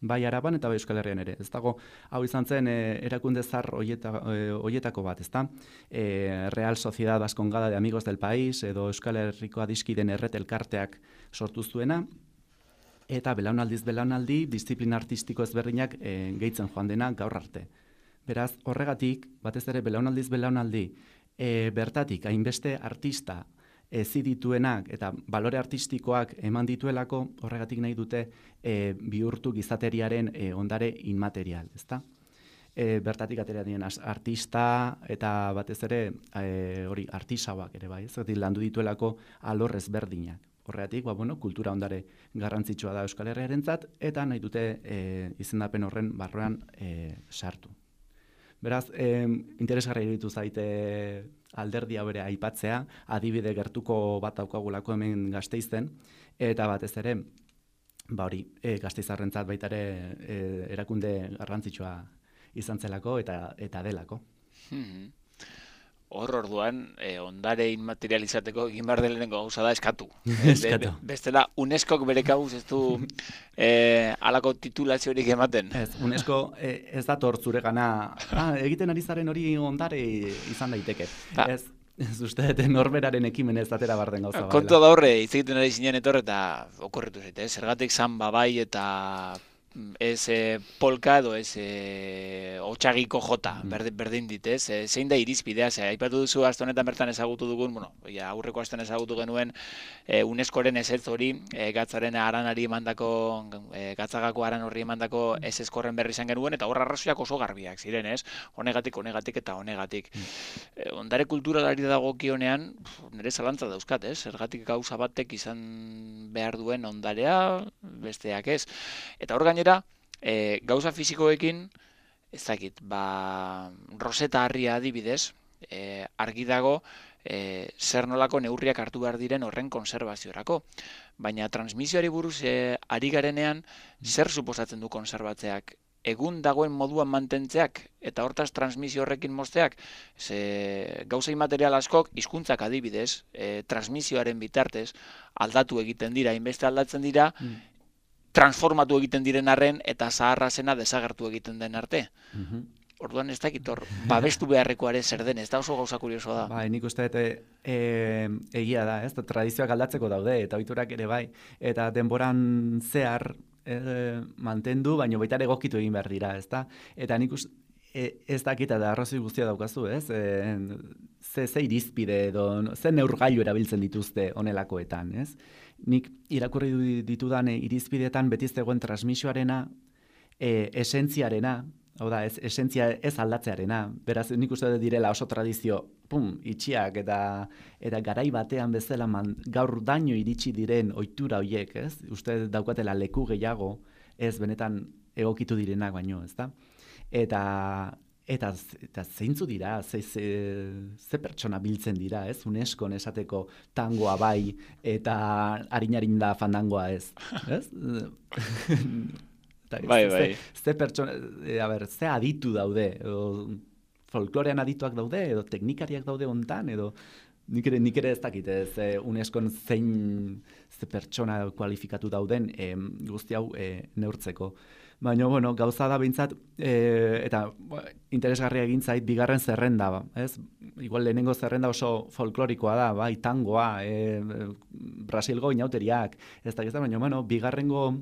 Bai Araban eta bai Euskal Herrian ere. Ez dago, hau izan zen erakunde zahar hoietako bat, ezta? Real Sociedad Vascongada de Amigos del País, edo Euskal Herriko adiskiden erret elkarteak sortu zuena, eta belaunaldiz belaunaldi, disiplina artistiko ezberdinak gehitzen joan dena gaur arte. Beraz, horregatik, batez ere belaunaldiz belaunaldi, bertatik hainbeste artista zidituenak eta balore artistikoak eman dituelako, horregatik nahi dute bihurtu gizateriaren ondare inmaterial, ezta? Bertatik atera dien artista eta batez ere hori artisauak ere bai, ez? Landu dituelako alor ezberdinak. Horregatik, kultura ondare garrantzitsua da Euskal Herriarentzat eta nahi dute izendapen horren barruan sartu. Beraz, interesgarria iruditu zaite alderdia bere aipatzea, adibide gertuko bat daukagulako hemen Gasteizen, eta batez ere, Gasteizarrentzat baita ere erakunde garrantzitsua izan zelako eta delako. Hor orduan, ondare inmaterializateko egin behar lehenengo gauza da eskatu. Bestela, UNESCOk bere kabuz ez du halako titulaziorik ematen. Ez, UNESCO ez dator zure gana, egiten ari zaren hori ondare izan daiteke. Ez uste, norberaren ekimen ez atera barden gauza baila. Kontua da horre, hitz egiten ari zinen etor eta okorretu zaite, zergatik samba bai eta ez polka edo ez otxagiko jota, berdin dit, ez? Zein da irizpidea, aipatu duzu aste honetan bertan ezagutu dugun, aurreko astean ezagutu genuen UNESCOren ezetz hori, gatzaren aranari emandako, gatzagako aran horri emandako ezezkorren berri izan genuen, eta horra arrazoiak oso garbiak ziren, ez? Honegatik eta honegatik. Ondare kulturalari dagokionean, nire zalantza dauzkat, ez? Zergatik gauza batek izan behar duen ondarea, besteak ez. Eta hor gainera, gauza fisikoekin, ez dakit, Roseta Harria adibidez, argi dago zer nolako neurriak hartu behar diren horren konservaziorako. Baina transmisioari buruz ari garenean, zer suposatzen du konserbatzeak? Egun dagoen moduan mantentzeak eta hortaz transmisio horrekin mozteak, gauza inmaterial askok, hizkuntzak adibidez, transmisioaren bitartez aldatu egiten dira, hainbeste aldatzen dira, transformatu egiten diren arren eta zaharra zena desagertu egiten den arte. Orduan ez dakit hor, babestu beharrekoare zer den, ez da oso gauza kuriosoa da. Bai, nik uste dut egia da, ez? Tradizioak aldatzeko daude, eta ohiturak ere bai. Eta denboran zehar mantendu, baina baita ere egokitu egin behar dira, ez da? Eta nik uste, ez dakita da arrazoi guztia daukazu, ez? Ze irizpide edo, ze neurgailu erabiltzen dituzte honelakoetan, ez? Nik irakurri ditudan irizpideetan beti zegoen transmisioarena, esentziarena, hau da, esentzia ez aldatzearena. Beraz, nik uste dut direla oso tradizio, itxiak eta garai batean bezala gaur daño iritsi diren ohitura horiek, ez? Uste daukatela leku gehiago, ez benetan egokitu direnak baino, ez da? Eta zeintzu dira, ze pertsona biltzen dira, ez? UNESCOn esateko tangoa bai eta harin da fandangoa ez, ez? Bai. Ze pertsona, ze aditu daude, folklorean adituak daude, edo teknikariak daude hontan, edo nik ere ez dakit, UNESCOn ze pertsona kualifikatu dauden guzti hau neurtzeko. Baina, bueno, gauza da behintzat, eta interesgarria egin zait, bigarren zerrenda, ez? Igual lehenengo zerrenda oso folklorikoa da, bai, tangoa, Brasilgo inauteriak, ez da, baina, bueno, bigarrengo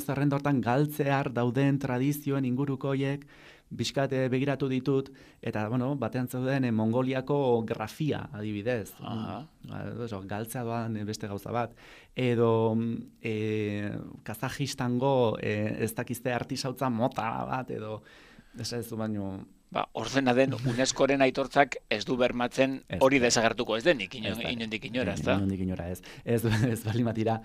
zerrenda hortan galtzear dauden tradizioen inguruko horiek, bizkat begiratu ditut, eta, bueno, batean zeuden Mongoliako grafia, adibidez. Galtzea doan beste gauza bat. Edo Kazajistango ez dakizte artisautza mota bat, edo ez baino... Ordena den UNESCOren aitortzak ez du bermatzen hori desagertuko ez denik, inondik inora, ez da? Inondik inora ez. Ez balimatira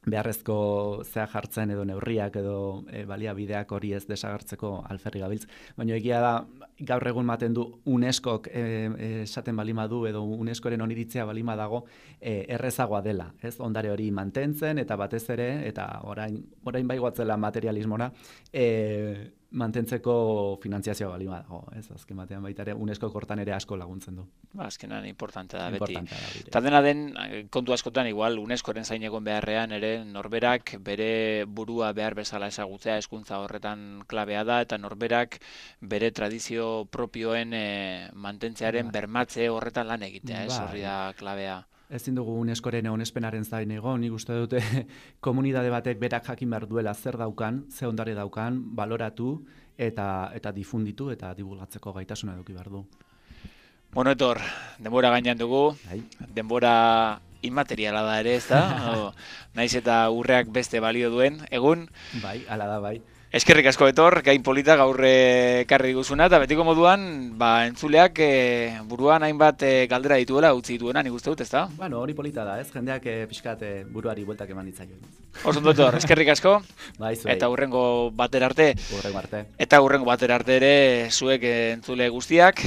beharrezko zea jartzen edo neurriak edo baliabideak hori ez desagertzeko alferri gabiltz. Baina egia da, gaur egun maten du UNESCOk esaten balima du edo UNESCOren oniritzea balima dago errezagoa dela. Ez ondare hori mantentzen eta batez ere, eta orain bai guatzela materialismora, mantentzeko finantziazioa balima dago. Ez azken batean baita ere UNESCO hortan ere asko laguntzen du. Azkenan importante da beti. Eta dena den, kontu askotan igual UNESCOren zain egon beharrean ere norberak bere burua behar bezala ezagutzea hezkuntza horretan klabea da, eta norberak bere tradizio propioen mantentzearen bermatze horretan lan egitea, ez horri da klabea. Ezin dugu UNESCOren onespenaren zain egon, nik uste dute komunitate batek berak jakin behar duela zer daukan, ze ondare daukan, baloratu eta difunditu eta divulgatzeko gaitasuna eduki behar du. Bueno, Etor, denbora gainean dugu, denbora inmateriala da ere, ez da? Naiz eta urreak beste balio duen, egun? Bai, ala da, bai. Eskerrik asko, Etor, gain polita gaur ekarri diguzuna, eta betiko moduan, entzuleak buruan hainbat galdera dituela utzi dituena, nik uste dut, ez da? Bueno, hori polita da, ez? Jendeak pixkat buruari bueltak eman ditzaio. Oso ondo, Etor, eskerrik asko, bai, zuei. Eta hurrengo batera arte. Hurrengo arte. Eta hurrengo batera arte ere zuek entzule guztiak.